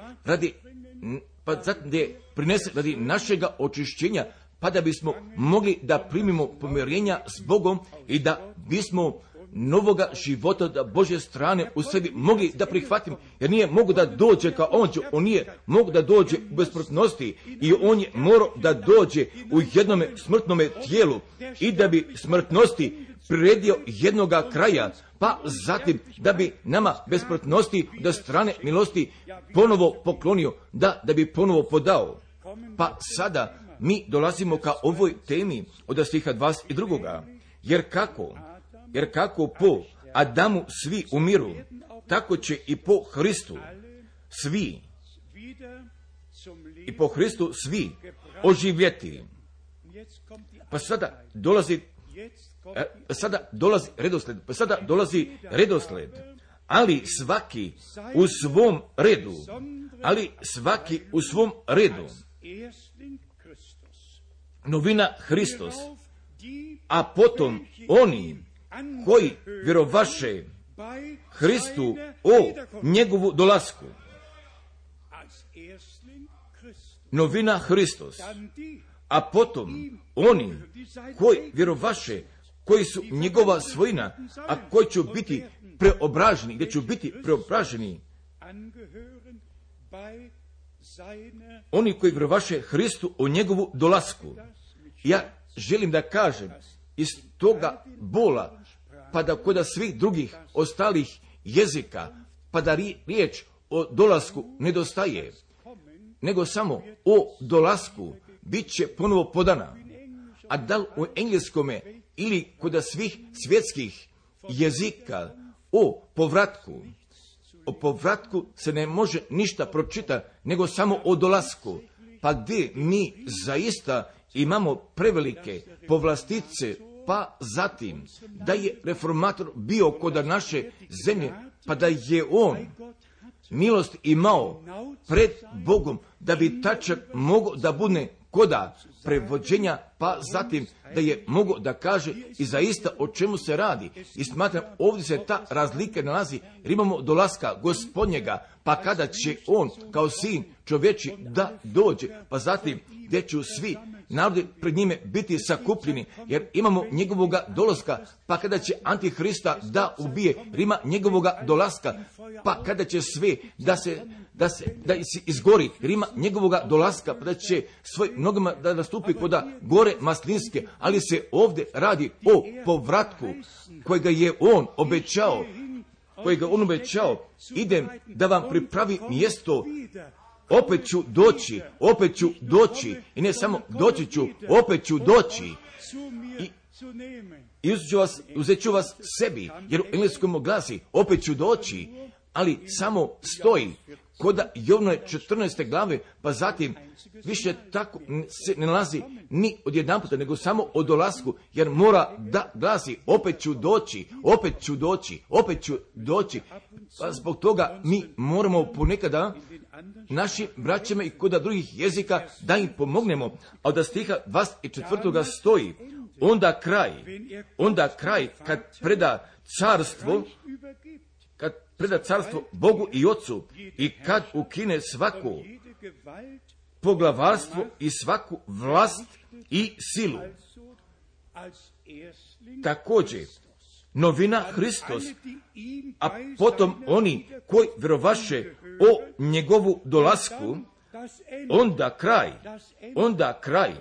A: prinese radi našega očišćenja, pa da bismo mogli da primimo pomirenja s Bogom i da bismo novoga života da Božje strane u sebi mogli da prihvatimo, jer nije mogu da dođe kao on nije mogu da dođe u besmrtnosti i on je morao da dođe u jednome smrtnome tijelu i da bi smrtnosti priredio jednoga kraja, pa zatim da bi nama besmrtnosti do strane milosti ponovo poklonio, da bi ponovo podao. Pa sada mi dolazimo ka ovoj temi od stiha 22. Jer kako po Adamu svi umiru, tako će i po Hristu svi oživjeti. Pa sada dolazi redosled, ali svaki u svom redu. Novina Hristos, a potom oni koji vjerovaše Hristu o njegovu dolasku. Novina Hristos, a potom oni koji vjerovaše, koji su njegova svojina, a koji će biti preobraženi, gdje će biti preobraženi. Oni koji vjerovaše Hristu o njegovu dolasku. Ja želim da kažem, iz toga bola, pa da kod svih drugih ostalih jezika, pa da riječ o dolasku nedostaje, nego samo o dolasku bit će ponovo podana. A da li u engleskome ili kod svih svjetskih jezika o povratku se ne može ništa pročitati, nego samo o dolasku. Pa gdje mi zaista imamo prevelike povlastice, pa zatim da je reformator bio kod naše zemlje, pa da je on milost imao pred Bogom, da bi tačak mogao da bude koda prevođenja, pa zatim da je mogao da kaže i zaista o čemu se radi. I smatram, ovdje se ta razlika nalazi, jer imamo dolaska Gospodnjega, pa kada će on kao sin čovječi da dođe, pa zatim gdje će svi narodi pred njime biti sakupljeni, jer imamo njegovoga dolaska, pa kada će Antihrista da ubije, jer ima njegovoga dolaska, pa kada će sve da se izgori, jer ima njegovoga dolaska, pa da će svoj nogama da nastupi koda gore maslinske, ali se ovdje radi o povratku kojega je on obećao, idem da vam pripravi mjesto, opet ću doći, i ne samo doći ću, opet ću doći i uzet ću vas sebi, jer u engleskom glasi opet ću doći, ali samo stoji koda Jovnove 14. glave, pa zatim više tako se ne nalazi ni odjedanputa, nego samo o dolasku, jer mora da glasi opet ću doći. Pa zbog toga mi moramo ponekada našim braćama i kod drugih jezika da im pomognemo, a od stiha 24. stoji, onda kraj kad preda carstvo Bogu i Ocu i kad ukine svako poglavarstvo i svaku vlast i silu. također novina Hristos, a potom oni koji vjerovaše o njegovu dolasku, onda kraj.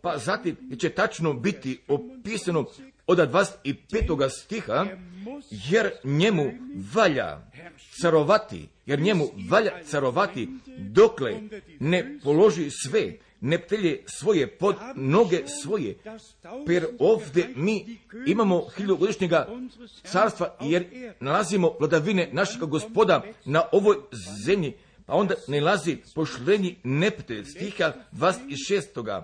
A: Pa zatim će tačno biti opisano od 25. stiha, jer njemu valja carovati, dokle ne položi sve, ne ptelje svoje pod noge svoje. Per ovdje mi imamo 1000-godišnjega carstva, jer nalazimo vladavine našeg Gospoda na ovoj zemlji. Pa onda nalazi pošlenji neptelj, stiha 26.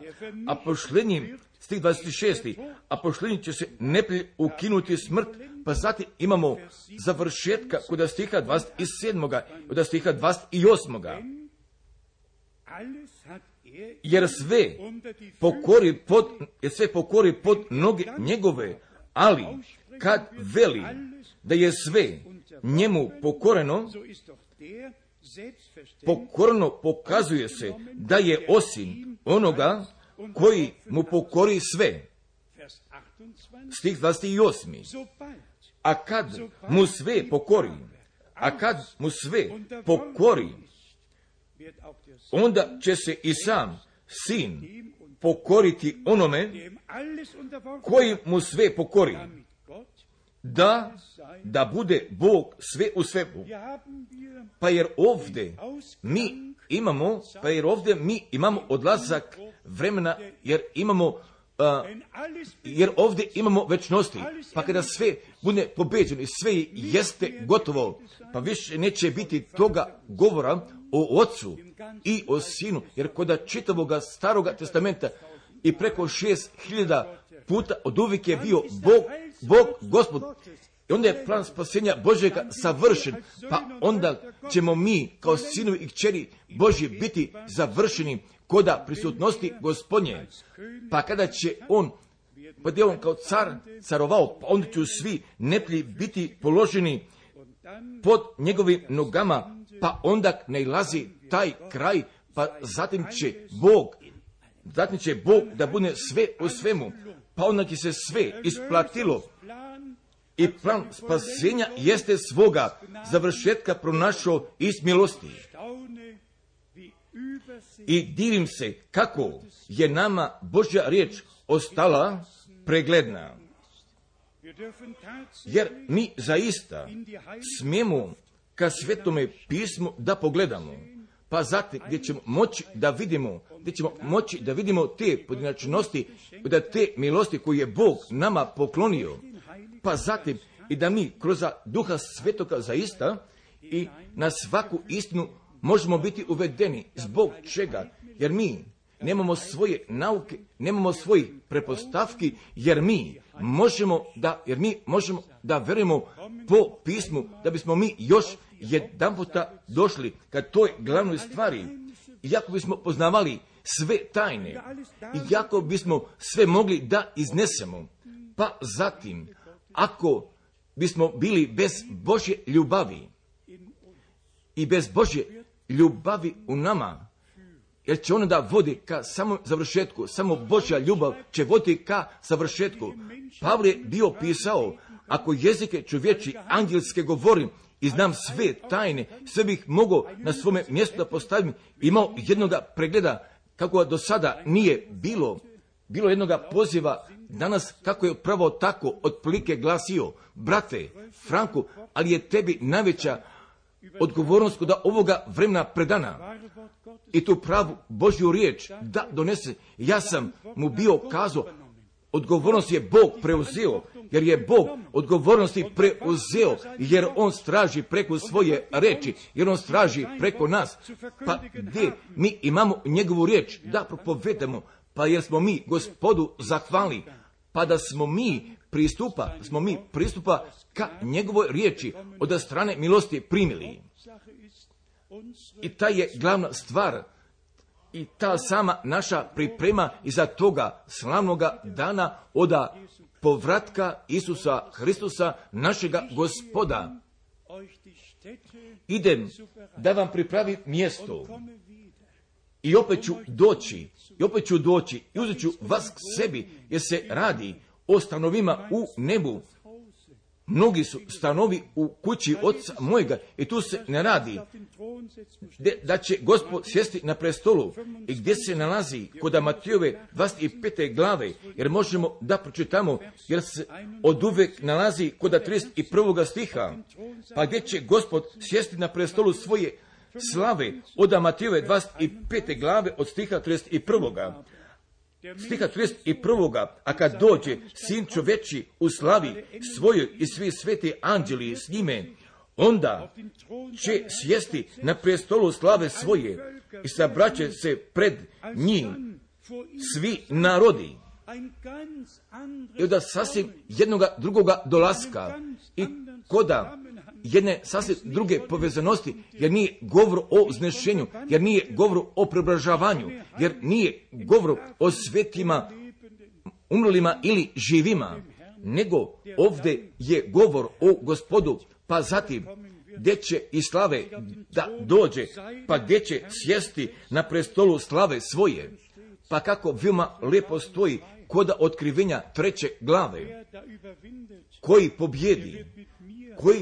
A: A pošlenji, stih 26. A pošlenji će se neptelj ukinuti smrt. Pa zatim imamo završetka kod stiha 27. Kod stiha 28. Jer sve pokori pod noge njegove, ali kad veli da je sve njemu pokoreno pokazuje se da je osim onoga koji mu pokori sve. Stih 28. A kad mu sve pokori, onda će se i sam sin pokoriti onome koji mu sve pokori, da bude Bog sve u svemu. Pa jer ovdje mi imamo odlazak vremena, jer ovdje imamo večnosti. Pa kada sve bude pobeđeno i sve jeste gotovo, pa više neće biti toga govora o Otcu i o Sinu, jer kod čitavoga Staroga testamenta i preko 6000 puta od uvijek je bio Bog Gospod. I onda je plan spasenja Božjega savršen, pa onda ćemo mi kao sinovi i kćeri Božji biti završeni koda prisutnosti Gospodnje. Pa kada će on, pa gdje on kao car carovao, pa onda će svi neplji biti položeni pod njegovim nogama, pa onda nailazi taj kraj, pa zatim će Bog da bude sve u svemu, pa onda će se sve isplatilo. I plan spasenja jeste svoga završetka pronašao iz milosti. I divim se kako je nama Božja riječ ostala pregledna. Jer mi zaista smijemo ka Svetome pismu da pogledamo. Pa zatim gdje ćemo moći da vidimo te pojedinačnosti, da te milosti koje je Bog nama poklonio. Pa zatim i da mi kroz Duha Svetoga zaista i na svaku istinu možemo biti uvedeni. Zbog čega? Jer mi nemamo svoje nauke, nemamo svojih prepostavki, jer mi možemo da verujemo po pismu, da bismo mi još jedanputa došli ka toj glavnoj stvari. Iako bismo poznavali sve tajne, iako bismo sve mogli da iznesemo, pa zatim, ako bismo bili bez Božje ljubavi i bez Božje ljubavi u nama, jer će ona da vodi ka samom završetku, samo Božja ljubav će voditi ka završetku. Pavle je bio pisao, ako jezike čovječi angelske govorim i znam sve tajne, sve bih mogao na svome mjestu da postavim, imao jednoga pregleda kako do sada nije bilo jednoga poziva danas, kako je upravo tako otprilike glasio, brate Franku, ali je tebi najveća odgovornost da ovoga vremena predana i tu pravu Božju riječ da donese. Ja sam mu bio kazao, odgovornost je Bog preuzeo, jer je Bog odgovornosti preuzeo, jer on straži preko svoje reči, jer on straži preko nas. Pa gdje mi imamo njegovu riječ da propovedamo, pa jer smo mi Gospodu zahvalni, pa da smo mi pristupa ka njegovoj riječi od strane milosti primili. I ta je glavna stvar i ta sama naša priprema iza toga slavnoga dana od povratka Isusa Hristusa, našega Gospoda. Idem da vam pripravim mjesto I opet ću doći i uzet ću vas k sebi, jer se radi o stanovima u nebu. Mnogi su stanovi u kući oca mojega i tu se ne radi da će Gospod sjesti na prestolu i gdje se nalazi kod Matijove 25. glave, jer možemo da pročitamo, jer se od uvek nalazi kod 31. stiha, pa gdje će Gospod sjesti na prestolu svoje slave od Matijove 25. glave od stiha 31. Stiha 31. A kad dođe Sin čoveči u slavi svojoj i svi sveti anđeli s njime, onda će sjesti na prestolu slave svoje i sabraće se pred njim svi narodi. I onda sasvim jednoga drugoga dolaska i koda jedne sasvim druge povezanosti, jer nije govor o uznešenju, jer nije govor o preobražavanju, jer nije govor o svetima, umrlima ili živima, nego ovdje je govor o Gospodu, pa zatim gdje će i slave da dođe, pa gdje će sjesti na prestolu slave svoje, pa kako veoma lijepo stoji koda otkrivenja 3. glave, koji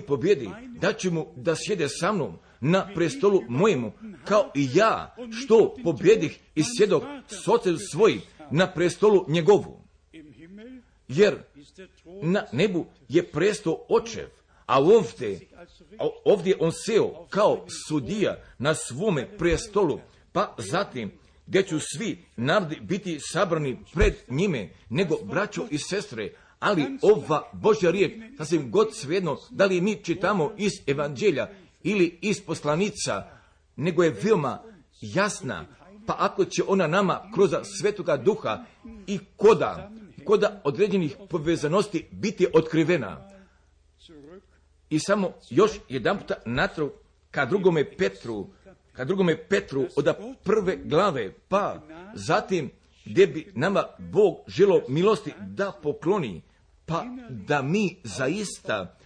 A: pobjedi, da će mu da sjede sa mnom na prestolu mojemu, kao i ja, što pobjedih i sjedok s ocem svojim na prestolu njegovu. Jer na nebu je presto očev, a ovdje on seo kao sudija na svome prestolu, pa zatim gdje ću svi narodi biti sabrani pred njime, nego braćo i sestre, ali ova Božja riječ, sasvim god svejedno, da li mi čitamo iz evanđelja ili iz poslanica, nego je veoma jasna, pa ako će ona nama kroz Svetoga Duha i koda određenih povezanosti biti otkrivena. I samo još jedan puta natrag ka drugome Petru od 1. glave, pa zatim gdje bi nama Bog želio milosti da pokloni, pa da mi zaista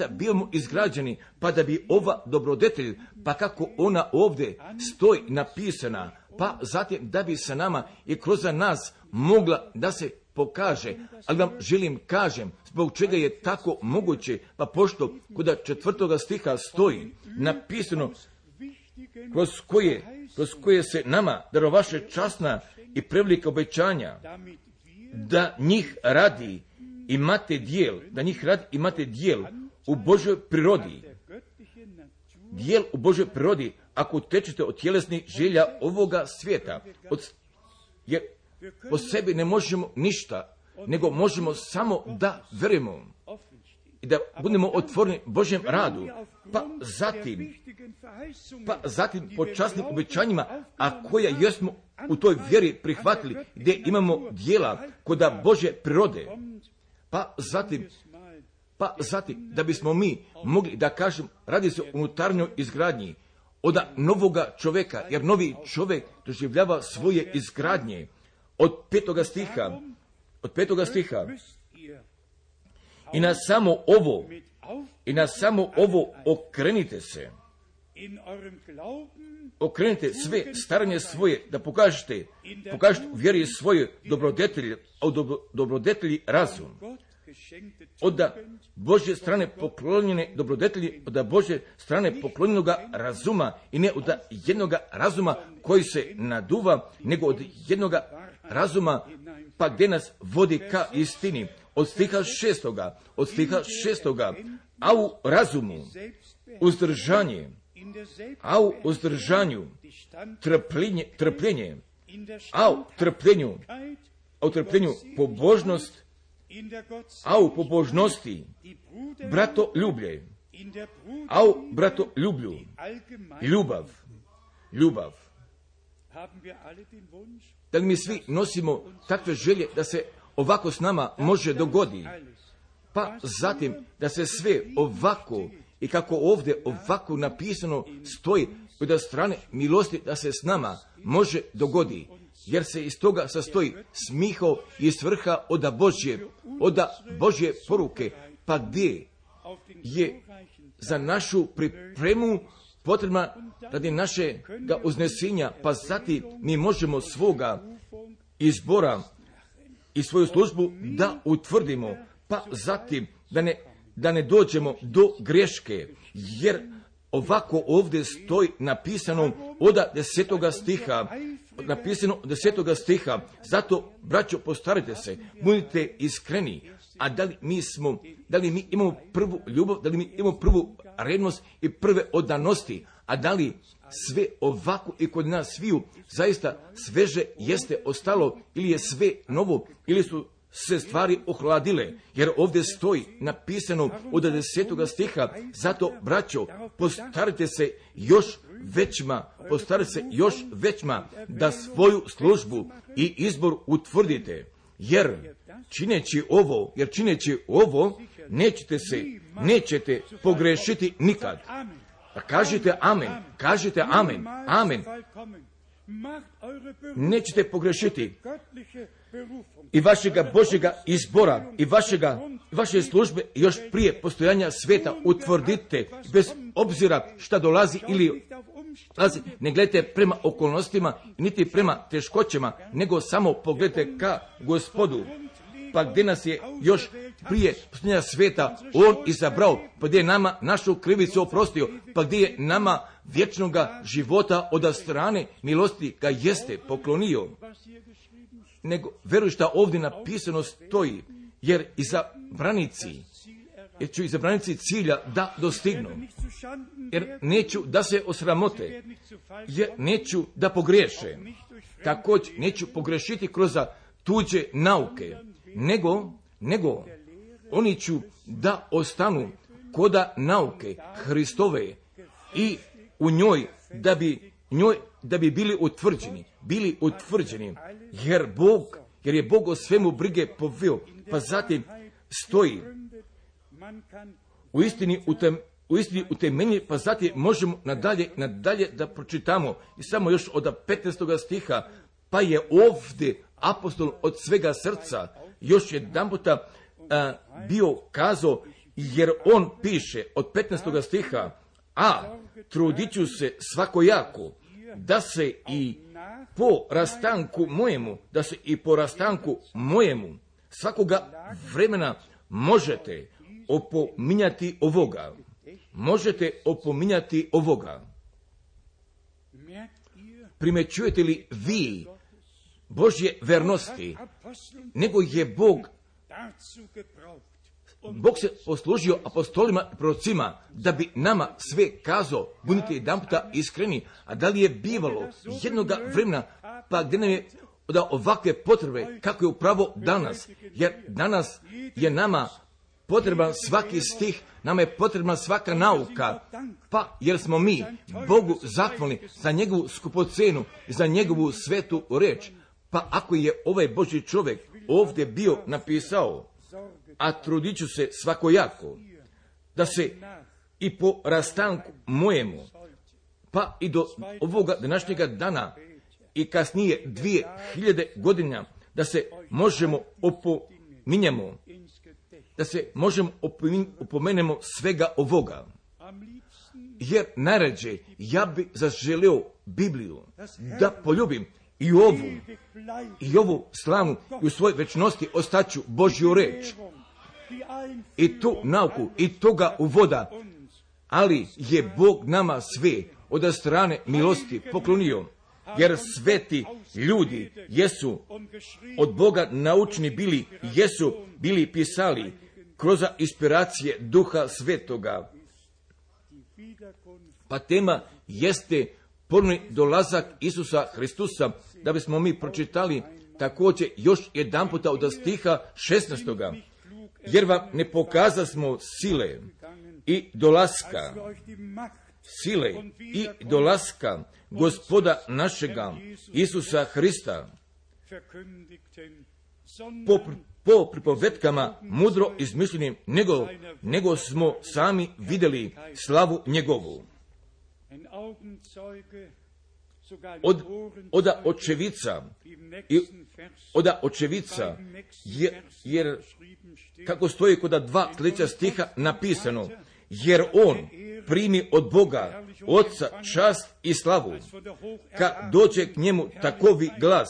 A: bivamo izgrađeni, pa da bi ova dobrodetelj, pa kako ona ovdje stoji napisana, pa zatim da bi sa nama i kroz nas mogla da se pokaže. Ali vam želim kažem, zbog čega je tako moguće, pa pošto kod 4. stiha stoji napisano kroz koje se nama darovaše časna i prevelika obećanja, da njih radi imate dijel u Božoj prirodi. Dijel u Božoj prirodi, ako tečete od tjelesnih želja ovoga svijeta, jer po sebi ne možemo ništa, nego možemo samo da verujemo i da budemo otvoreni Božjem radu, pa zatim po časnim obećanjima, a koja jesmo u toj vjeri prihvatili, gdje imamo dijela koda Božje prirode, pa zatim da bismo mi mogli da kažem, radi se o unutarnjoj izgradnji od novoga čovjeka, jer novi čovjek doživljava svoje izgradnje. Od 5. stiha i na samo ovo okrenite sve staranje svoje, da pokažete vjeri svoje dobrodetelji razum. Od Božje strane poklonjene dobrodetelji, od Božje strane poklonjenoga razuma, i ne od jednoga razuma koji se naduva, nego od jednoga razuma, pa gdje nas vodi ka istini. Od stiha 6. A u razumu uzdržanje, a u uzdržanju trpljenje, a u trpljenju pobožnost, a u pobožnosti bratoljublje, a u bratoljublju ljubav. Da li mi svi nosimo takve želje da se ovako s nama može dogodi? Pa zatim da se sve ovako i kako ovdje ovako napisano stoji od strane milosti da se s nama može dogodi, jer se iz toga sastoji smiho i svrha od Božje poruke, pa gdje je za našu pripremu potrebna radi našega uznesenja, pa zatim mi možemo svoga izbora i svoju službu da utvrdimo, pa zatim da ne dođemo do greške, jer ovako ovdje stoji napisano od 10. stiha, zato, braćo, postarajte se, budite iskreni, a da li mi imamo prvu ljubav, da li mi imamo prvu revnost i prve odanosti, a da li sve ovako i kod nas sviju zaista sveže jeste ostalo, ili je sve novo, ili su se stvari ohladile, jer ovdje stoji napisano od 10. stiha, zato, braćo, postarajte se još većma da svoju službu i izbor utvrdite, jer čineći ovo nećete pogrešiti nikad. Pa kažite amen, amen. Nećete pogrešiti i vašega Božjega izbora i vaše službe još prije postojanja sveta utvrdite, bez obzira šta dolazi ili dolazi. Ne gledajte prema okolnostima, niti prema teškoćama, nego samo pogledajte ka Gospodu. Pa gdje nas je još prije postojanja sveta On izabrao, pa gdje je nama našu krivicu oprostio, pa gdje je nama vječnoga života od strane milosti ga jeste poklonio. Nego veruj šta ovdje napisano stoji, jer izabranici cilja da dostignu, jer neću da se osramote, jer neću da pogriješe, također neću pogrešiti kroz tuđe nauke, nego oni ću da ostanu koda nauke Hristove i u njoj da bi bili utvrđeni, jer je Bog o svemu brige poveo. Pa zatim stoji u istini utemelji, pa zatim možemo nadalje da pročitamo i samo još od 15. stiha, pa je ovdje apostol od svega srca još jedanputa bio kazao, jer on piše od 15. stiha, a trudit ću se svakojako da se i po rastanku mojemu svakoga vremena možete opominjati ovoga. Primećujete li vi Božje vernosti, nego je Bog se poslužio apostolima i prorocima da bi nama sve kazao, budite jedanputa iskreni, a da li je bivalo jednoga vremena, pa gdje nam je da ovakve potrebe, kako je upravo danas, jer danas je nama potreban svaki stih, nama je potrebna svaka nauka, pa jer smo mi Bogu zahvalni za njegovu skupocenu i za njegovu svetu reč. Pa ako je ovaj Božji čovjek ovdje bio napisao, a trudit ću se svakojako, da se i po rastanku mojemu, pa i do ovoga današnjega dana i kasnije 2000 godina, da se možemo opomenemo svega ovoga. Jer najrađe ja bi zaželio Bibliju da poljubim i ovu slavnu i u svojoj večnosti ostaću Božju reč i tu nauku i toga uvoda, ali je Bog nama sve od strane milosti poklonio, jer sveti ljudi jesu od Boga naučni bili pisali kroz inspiracije Duha Svetoga. Pa tema jeste ponovni dolazak Isusa Hristusa, da bismo mi pročitali također još jedanputa od stiha 16. Jer vam ne pokazasmo sile i dolaska Gospoda našega Isusa Hrista po pripovetkama mudro izmišljenim, nego smo sami vidjeli slavu njegovu. Oda očevica, jer kako stoji kod 2 sljedeća stiha napisano, jer on primi od Boga Otca čast i slavu, kad dođe k njemu takovi glas,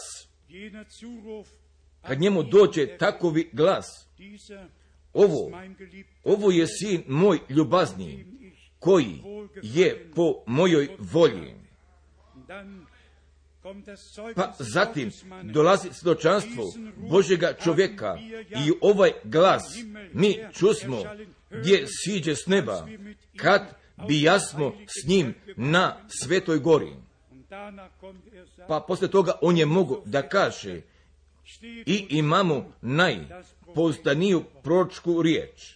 A: kad njemu dođe takovi glas, ovo je sin moj ljubazni, koji je po mojoj volji. Pa zatim dolazi svjedočanstvo Božjega čovjeka i ovaj glas mi čusmo gdje siđe s neba, kad bijasmo s njim na Svetoj gori. Pa poslije toga on je mogao da kaže i imamo najpouzdaniju proročku riječ.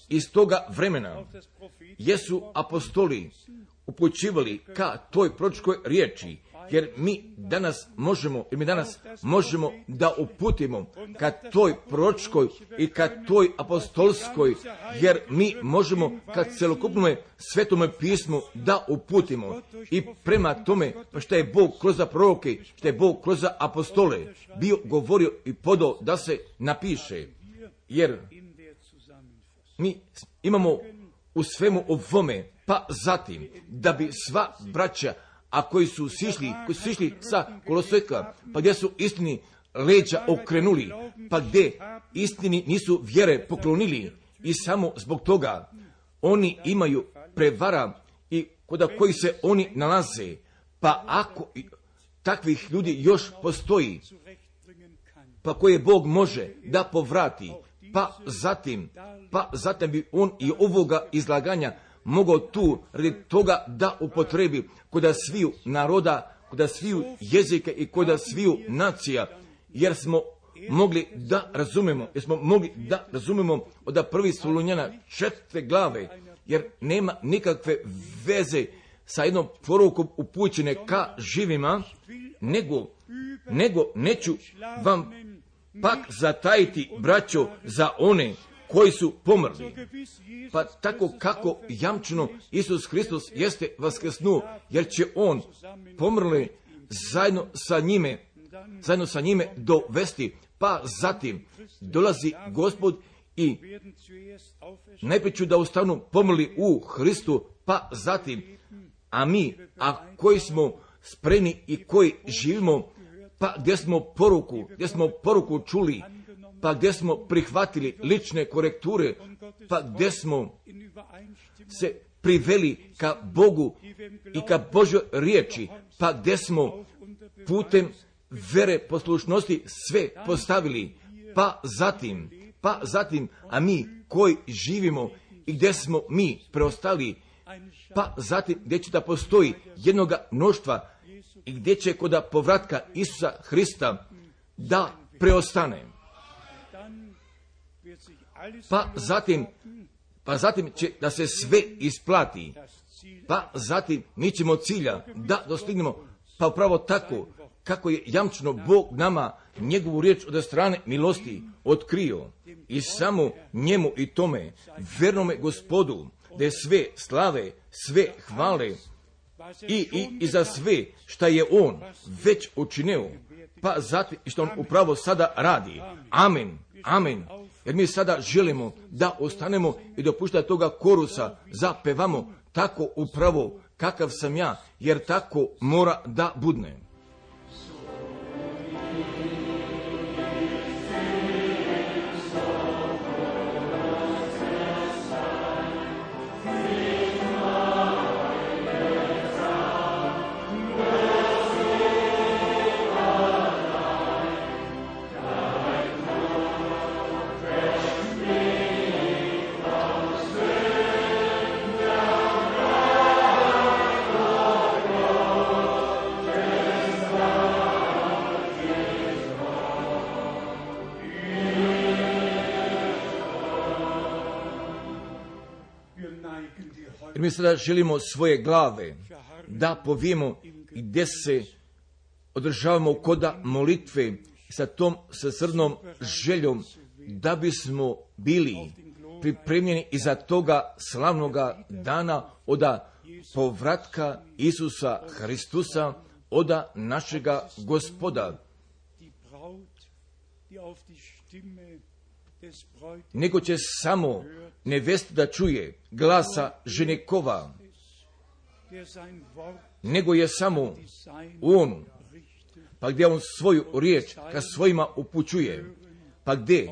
A: Iz toga vremena jesu apostoli upućivali ka toj proročkoj riječi, jer mi danas možemo da uputimo ka toj proročkoj i ka toj apostolskoj, jer mi možemo ka celokupnom Svetome pismu da uputimo i prema tome što je Bog kroz proroke, što je Bog kroz apostole bio govorio i podao da se napiše, jer mi imamo u svemu ovome, pa zatim, da bi sva braća, a koji su sišli sa koloseka, pa gdje su istini leđa okrenuli, pa gdje istini nisu vjere poklonili i samo zbog toga oni imaju prevara i kod koji se oni nalaze, pa ako takvih ljudi još postoji, pa koje Bog može da povrati, pa zatim bi on i ovoga izlaganja mogao tu radi toga da upotrebi kod sviju naroda, kod sviju jezike i kod sviju nacija, jer smo mogli da razumemo od prvi Solunjana 4. glave, jer nema nikakve veze sa jednom porukom upućene ka živima, nego neću vam pak zatajiti, braćo, za one koji su pomrli. Pa tako kako jamčeno Isus Hristos jeste vaskrsnuo, jer će on pomrli zajedno sa njime dovesti. Pa zatim dolazi Gospod i najprije ću da ostanu pomrli u Hristu, pa zatim, a mi, a koji smo spremni i koji živimo, pa gdje smo poruku čuli, pa gdje smo prihvatili lične korekture, pa gdje smo se priveli ka Bogu i ka Božjoj riječi, pa gdje smo putem vere poslušnosti sve postavili, pa zatim, a mi koji živimo i gdje smo mi preostali, pa zatim gdje će da postoji jednoga mnoštva i gdje će kod povratka Isusa Hrista da preostane. Pa zatim će da se sve isplati. Pa zatim mi ćemo cilja da dostignemo, pa upravo tako kako je jamčeno Bog nama njegovu riječ od strane milosti otkrio i samo njemu i tome vernome Gospodu da je sve slave, sve hvale i za sve šta je on već učinio, pa zatim što on upravo sada radi. Amen, amen. Jer mi sada želimo da ostanemo i dopušta toga korusa zapevamo tako upravo kakav sam ja, jer tako mora da budne. Jer mi sada želimo svoje glave da povijemo i gdje se održavamo koda molitve sa tom srcrnom željom da bismo bili pripremljeni iza toga slavnoga dana oda povratka Isusa Hristusa, oda našega Gospoda. nego će samo nevesta da čuje glasa ženekova, nego je samo on, pa gdje on svoju riječ ka svojima upućuje, pa gdje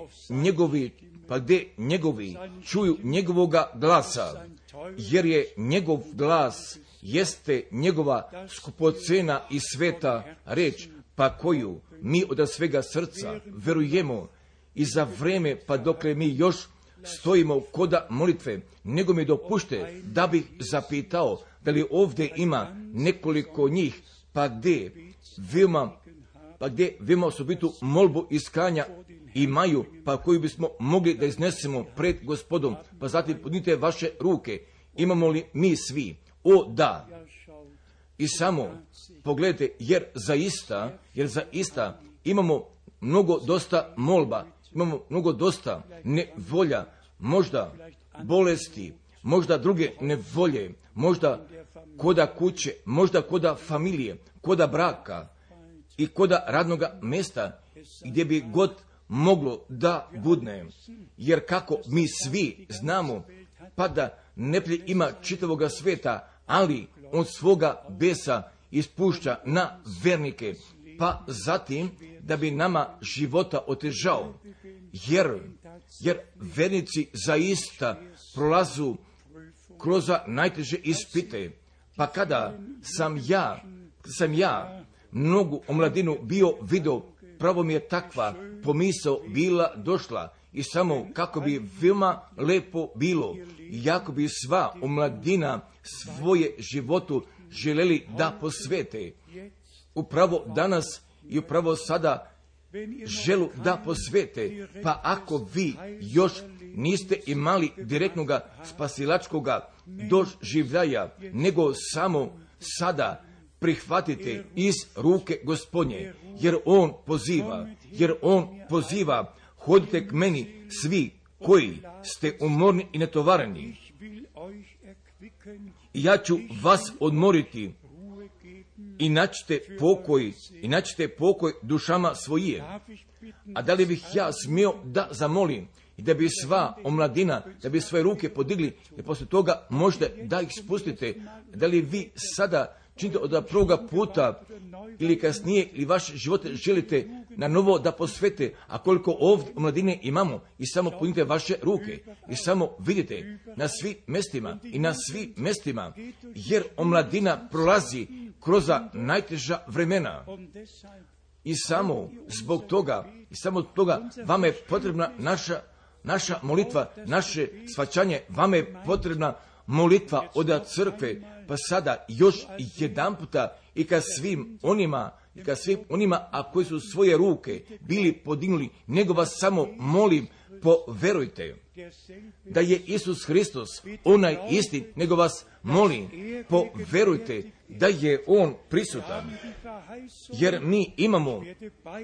A: njegovi čuju njegovoga glasa, jer je njegov glas jeste njegova skupocena i sveta reč, pa koju mi od svega srca verujemo i za vreme pa dokle mi još stojimo koda molitve, nego mi dopušte da bih zapitao da li ovdje ima nekoliko njih, pa gdje veoma osobitu molbu iskanja imaju, pa koju bismo mogli da iznesemo pred Gospodom, pa zatim podnite vaše ruke. Imamo li mi svi? O da. I samo pogledajte, jer zaista imamo mnogo dosta molba, imamo mnogo dosta nevolja, možda bolesti, možda druge nevolje, možda koda kuće, možda koda familije, koda braka i koda radnoga mjesta, gdje bi god moglo da budne. Jer kako mi svi znamo, pa da neprijatelj ima čitavoga sveta, ali on svoga besa ispušća na vernike, pa zatim da bi nama života otežao, jer vernici zaista prolazu kroz najteže ispite. Pa kada sam ja mnogu omladinu bio vidio, pravo mi je takva pomisao bila došla i samo kako bi veoma lepo bilo, jako bi sva omladina svoje životu želeli da posvete. Upravo danas i upravo sada želu da posvete, pa ako vi još niste imali direktnog spasilačkog doživljaja, nego samo sada prihvatite iz ruke Gospodnje, jer on poziva, hodite k meni svi koji ste umorni i netovareni, i ja ću vas odmoriti i naćete pokoj dušama svojije. A da li bih ja smio da zamolim i da bi sva omladina, da bi svoje ruke podigli i poslije toga možda da ih spustite? Da li vi sada činite od prvoga puta ili kasnije ili vaše živote želite na novo da posvete, a koliko ovdje omladine imamo, i samo punite vaše ruke i samo vidite na svim mjestima, jer omladina prolazi kroz najteža vremena. I samo zbog toga vama je potrebna naša molitva, naše shvaćanje, vama je potrebna molitva od crkve, pa sada još jedan puta i ka svim onima, a koji su svoje ruke bili podignuli, nego vas samo molim, poverujte da je Isus Hristos onaj isti, nego vas molim, poverujte da je On prisutan, jer mi imamo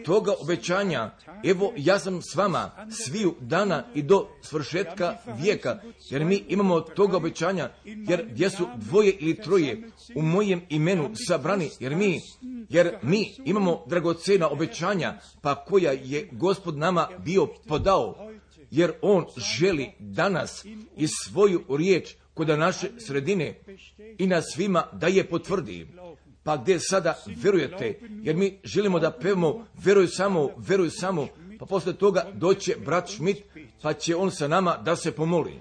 A: toga obećanja. Evo, ja sam s vama sviju dana i do svršetka vijeka, jer mi imamo toga obećanja, jer gdje su dvoje ili troje u mojem imenu sabrani, jer mi imamo dragocena obećanja, pa koja je Gospod nama bio podao, jer On želi danas i svoju riječ kod naše sredine i na svima da je potvrdi. Pa gdje sada verujete, jer mi želimo da pevamo veruj samo, pa poslije toga doće brat Schmidt, pa će on sa nama da se pomoli.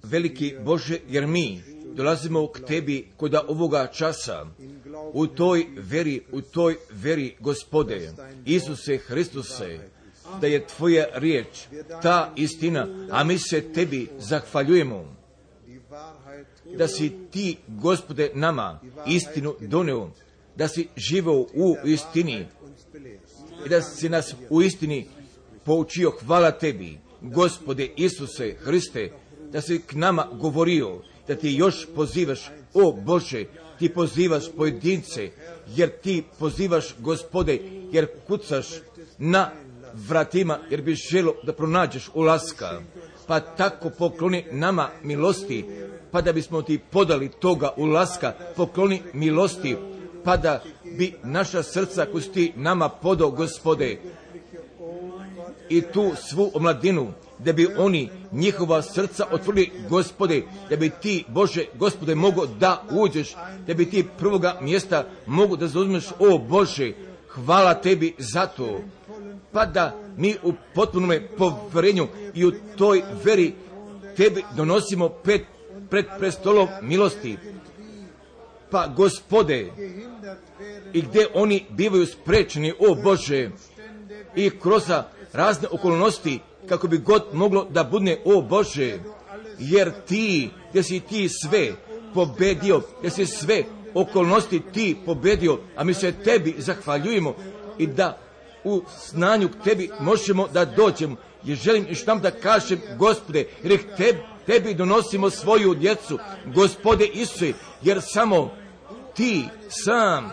A: Veliki Bože, jer mi dolazimo k Tebi kod ovoga časa, u toj veri, Gospode, Isuse Hristuse, da je Tvoja riječ, ta istina, a mi se Tebi zahvaljujemo, da si Ti, Gospode, nama istinu doneo, da si živeo u istini i da si nas u istini poučio. Hvala Tebi, Gospode Isuse Hriste, da si k nama govorio, da Ti još pozivaš, o Bože, Ti pozivaš pojedince, jer Ti pozivaš, Gospode, jer kucaš na vratima, jer bi želo da pronađeš ulaska. Pa tako pokloni nama milosti, pa da bismo Ti podali toga ulaska, pokloni milosti, pa da bi naša srca koju si Ti nama podao, Gospode, i tu svu omladinu, da bi oni njihova srca otvorili, Gospode, da bi Ti, Bože, Gospode, mogo da uđeš, da bi Ti prvoga mjesta mogu da zauzmeš, o Bože, hvala Tebi za to, pa da mi u potpunom povjerenju i u toj veri Tebi donosimo pred prestolom milosti. Pa, Gospode, i gdje oni bivaju sprečeni, o Bože, i kroz razne okolnosti, kako bi god moglo da budne, o Bože, jer Ti, gdje si Ti sve pobedio, gdje si sve okolnosti Ti pobedio, a mi se Tebi zahvaljujemo i da u znanju k Tebi možemo da dođemo. I želim još tam da kažem, Gospode, jer Tebi donosimo svoju djecu, Gospode Isuse, jer samo Ti sam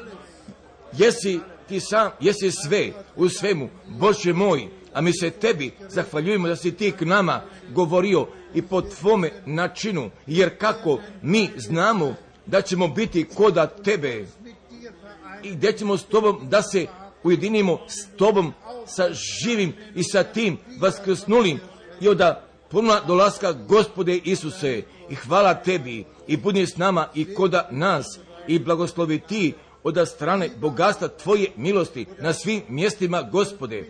A: jesi sve u svemu, Bože moj, a mi se Tebi zahvaljujemo da si Ti k nama govorio i po Tvome načinu, jer kako mi znamo da ćemo biti koda Tebe i gdje ćemo s Tobom da se ujedinimo s Tobom, sa živim i sa tim vaskrsnulim i od punoga dolaska, Gospode Isuse, i hvala Tebi i budi s nama i koda nas i blagoslovi Ti od strane bogatstva Tvoje milosti na svim mjestima, Gospode,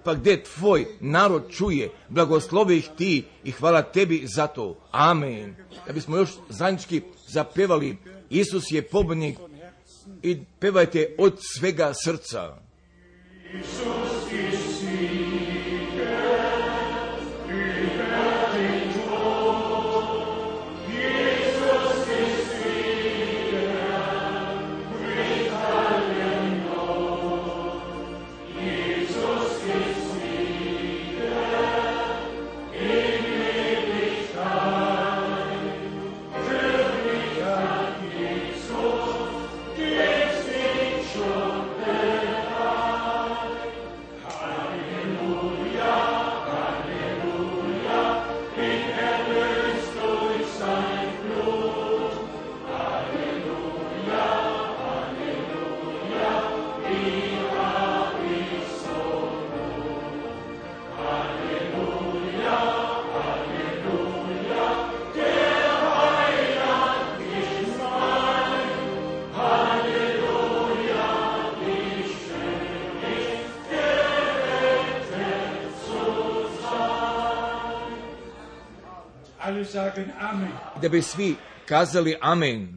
A: pa gdje Tvoj narod čuje, blagoslovi ih Ti i hvala Tebi za to. Amen. Da bismo još zajednički zapevali Isus je pobjednik i pevajte od svega srca.
C: Isus ist Sieger, über den Tod. Jesus ist Sieger, bricht allen Not. Jesus ist Sieger, in Ewigkeit. Für mich hat Jesus den Sieg schon bereit. Halleluja, Halleluja, bin erlöst durch sein Blut. Halleluja, Halleluja, wie hab ich so Not. Halleluja, Halleluja, der Heiland ist mein. Halleluja, wie schön ist gerettet zu sein. Alle sagen Amen.
A: Da bi svi kazali amen,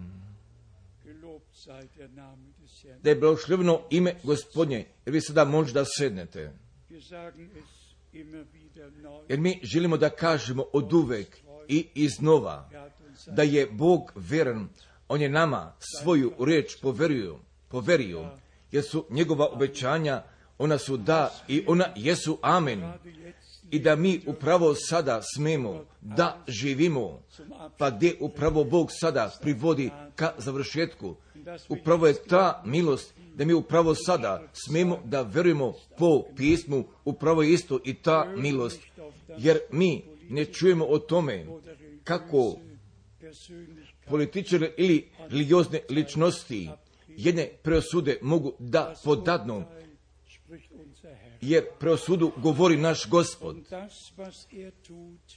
C: Gelobt sei der Name des Herrn.
A: da je blagoslovljeno ime Gospodnje, jer vi sada možda sednete.
C: Wir sagen es immer wieder neu.
A: Jer mi želimo da kažemo oduvek i iznova
C: Er hat uns
A: da je Bog vjeran, On je nama svoju riječ poverio, jer su njegova obećanja, ona su da i ona jesu amen. I da mi upravo sada smemo da živimo, pa gdje upravo Bog sada privodi ka završetku. Upravo je ta milost da mi upravo sada smemo da verujemo po pismu, upravo je isto i ta milost. Jer mi ne čujemo o tome kako političari ili religiozne ličnosti jedne preosude mogu da podadnu,
C: spricht unser Herr.
A: jer preosudu govori naš Gospod.
C: Und das, was er tut,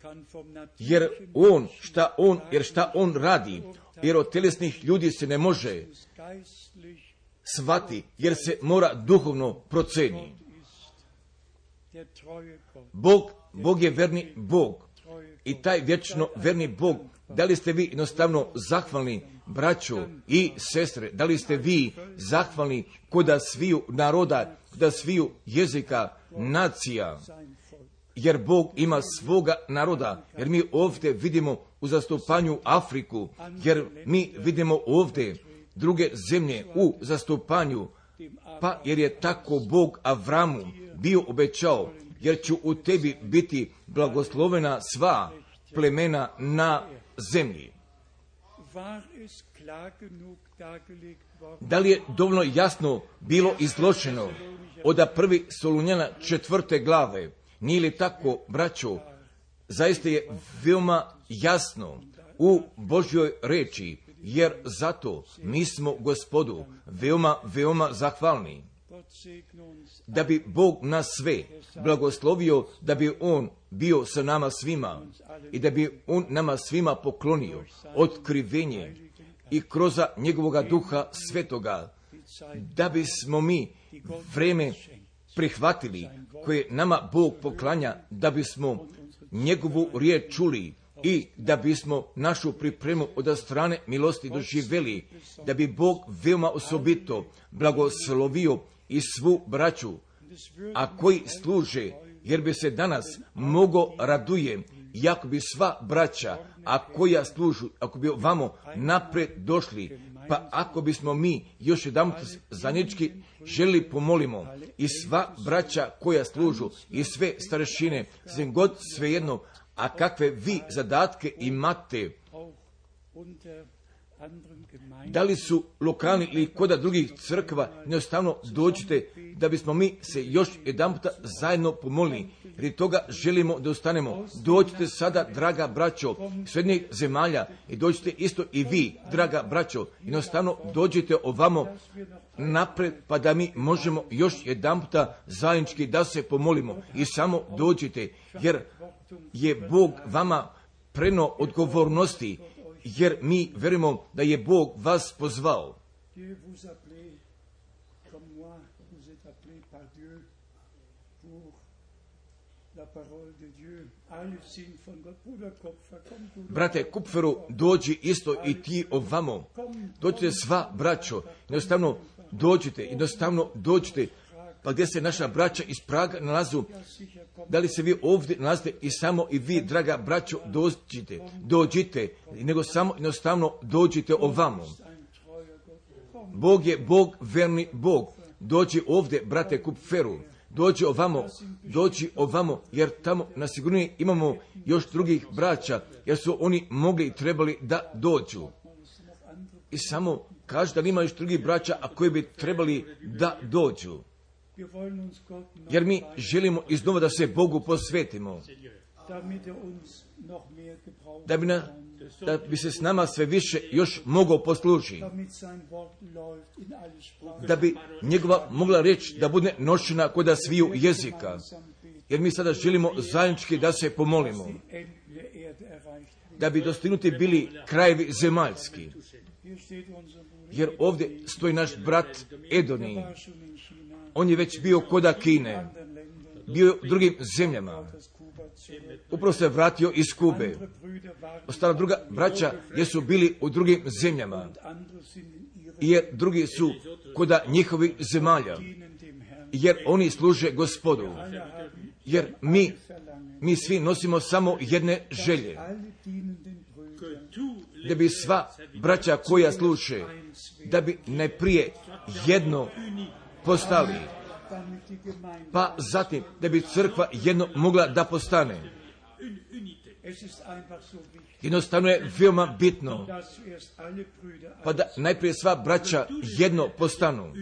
C: kann vom
A: Jer
C: natürlichen
A: šta on radi, jer od telesnih ljudi se ne može
C: geistlich
A: shvati, jer se mora duhovno proceni.
C: ist der treue Gott,
A: Bog je verni Bog. I taj vječno verni Bog, da li ste vi jednostavno zahvalni, braćo i sestre, da li ste vi zahvalni koda sviju naroda, koda sviju jezika, nacija,
C: sein Volk.
A: jer Bog ima svoga naroda, jer mi ovdje vidimo u zastupanju Afriku, jer mi vidimo ovdje druge zemlje u zastupanju, pa jer je tako Bog Avramu bio obećao, jer ću u tebi biti blagoslovena sva plemena na zemlji.
C: War es klar genug dargelegt worden,
A: Da li je dovoljno jasno bilo izločeno od 1. Solunjana 4. glave? Nije li tako, braćo? Zaista je veoma jasno u Božjoj reči, jer zato mi smo Gospodu veoma zahvalni.
C: Gott segne uns
A: Da bi Bog nas sve blagoslovio, da bi On bio sa nama svima i da bi On nama svima poklonio otkrivenje i kroz njegovoga duha svetoga, da bismo mi vreme prihvatili koje nama Bog poklanja, da bismo njegovu riječ čuli i da bismo našu pripremu od strane milosti doživjeli, da bi Bog veoma osobito blagoslovio i svu braću, a koji služe, jer bi se danas mogo raduje, jako bi sva braća, a koja služu, ako bi ovamo napred došli, pa ako bismo mi još jedan zajednički želi pomolimo i sva braća koja služu i sve starešine, sem god svejedno, a kakve vi zadatke imate,
C: auch unter anderen Gemeinden.
A: da li su lokalni ili koda drugih crkva, jednostavno dođite da bismo mi se još jedan puta zajedno pomolili. Jer toga želimo da ostanemo. Dođite sada, draga braćo, srednjih zemalja i dođite isto i vi, draga braćo. Jednostavno dođite ovamo napred pa da mi možemo još jedan puta zajednički da se pomolimo. I samo dođite, jer je Bog vama preno odgovornosti, jer mi verujemo da je Bog vas pozvao.
C: Dieu vous appelez comme moi, vous êtes appelés par Dieu pour la parole de Dieu. Alle sind von Gott. Bruder Kopfer, komm du.
A: Brate Kupferu, dođi isto i ti ovamo. Dođite sva braćo, jednostavno dođite. Pa gdje se naša braća iz Praga nalazu, da li se vi ovdje nalazite i samo i vi, draga braćo, dođite, nego samo jednostavno dođite ovamo. Bog je Bog, verni Bog. Dođi ovdje, brate Kupferu, dođi ovamo, jer tamo na sigurniji imamo još drugih braća, jer su oni mogli i trebali da dođu. I samo kaži da ima još drugih braća, a koji bi trebali da dođu. Jer mi želimo iznova da se Bogu posvetimo, da bi se s nama sve više još mogao poslužiti, da bi njegova mogla reći da bude nošena kod sviju jezika, jer mi sada želimo zajednički da se pomolimo, da bi dostignuti bili krajevi zemaljski. Jer ovdje stoji naš brat Edoni. On je već bio koda Kine, bio u drugim zemljama. Upravo se vratio iz Kube. Ostala druga braća jesu bili u drugim zemljama, jer drugi su koda njihovih zemalja, jer oni služe Gospodu. Jer mi svi nosimo samo jedne želje, da bi sva braća koja služe, da bi najprije jedno postali, pa zatim da bi crkva jedno mogla da postane. Jednostavno je veoma bitno, pa da najprije sva braća jedno postanu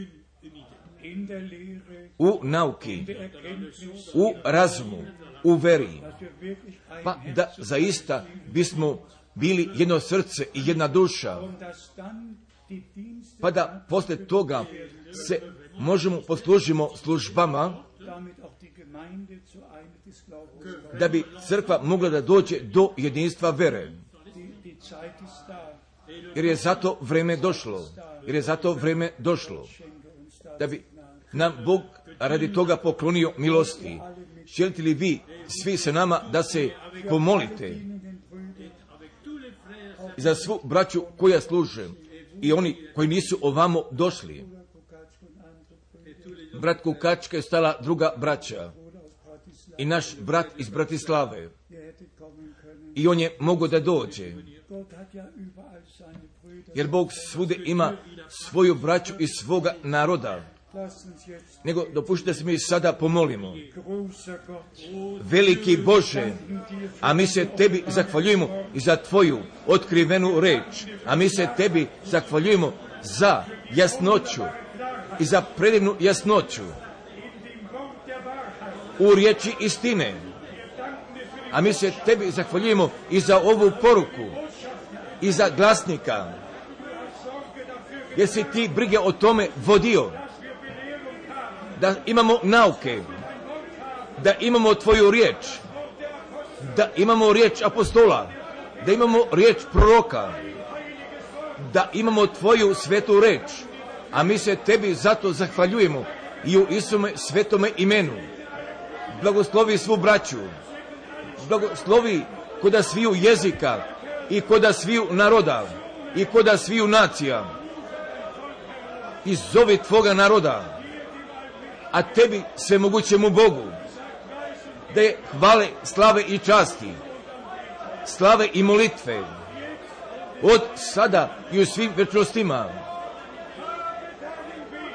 A: u nauki, u razumu, u veri, pa da zaista bismo bili jedno srce i jedna duša, pa da poslije toga se možemo poslužimo službama, da bi crkva mogla da dođe do jedinstva vere. Jer je zato vreme došlo, da bi nam Bog radi toga poklonio milosti. Želite li vi svi sa nama da se pomolite za svu braću koja služe i oni koji nisu ovamo došli? Brat Kukačka je stala druga braća i naš brat iz Bratislave. I on je mogao da dođe. Jer Bog svude ima svoju braću i svoga naroda. Nego dopustite da se mi sada pomolimo. Veliki Bože, a mi se tebi zahvaljujemo i za tvoju otkrivenu reč. A mi se tebi zahvaljujemo za jasnoću i za predivnu jasnoću u riječi istine. A mi se tebi zahvaljujemo i za ovu poruku i za glasnika. Jer si ti brige o tome vodio. Da imamo nauke, da imamo tvoju riječ, da imamo riječ apostola, da imamo riječ proroka, da imamo tvoju svetu reč. A mi se tebi zato zahvaljujemo i u Isume svetome imenu. Blagoslovi svu braću, blagoslovi koda sviju jezika i koda sviju naroda i koda sviju nacija. I zovi tvoga naroda, a tebi svemogućemu Bogu, da je hvale, slave i časti, slave i molitve, od sada i u svim večnostima.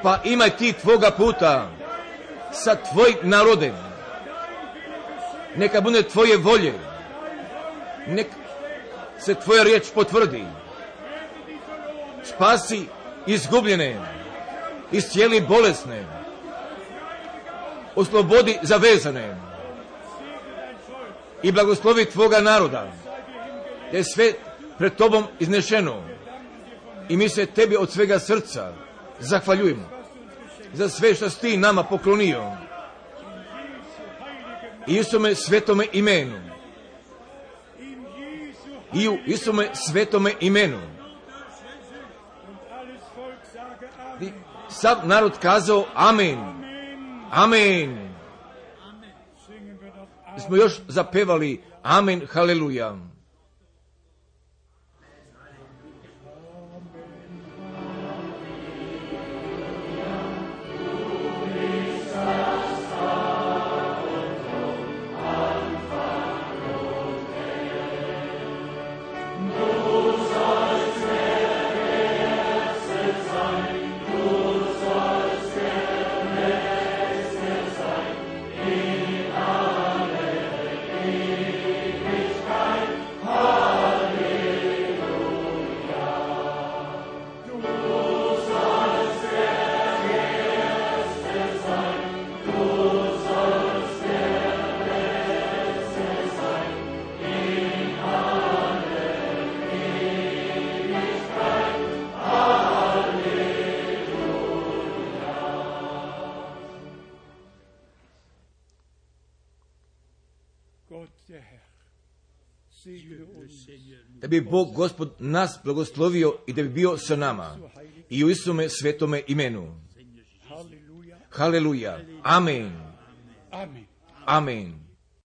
A: Pa imaj ti tvoga puta sa tvojim narodem. Neka bude tvoje volje. Neka se tvoja riječ potvrdi. Spasi izgubljene, iscijeli bolesne, oslobodi zavezane i blagoslovi tvoga naroda. Da je sve pred tobom iznešeno. I mi se tebi od svega srca zahvaljujemo za sve što si ti nama poklonio. I Isume svetome imenu. I u Isume svetome imenu. I sav narod kazao amen. Amen. Smo još zapevali amen, haleluja. Da bi Bog Gospod nas blagoslovio i da bi bio sa nama. I u Isume svetome imenu. Haleluja. Amen. Amen.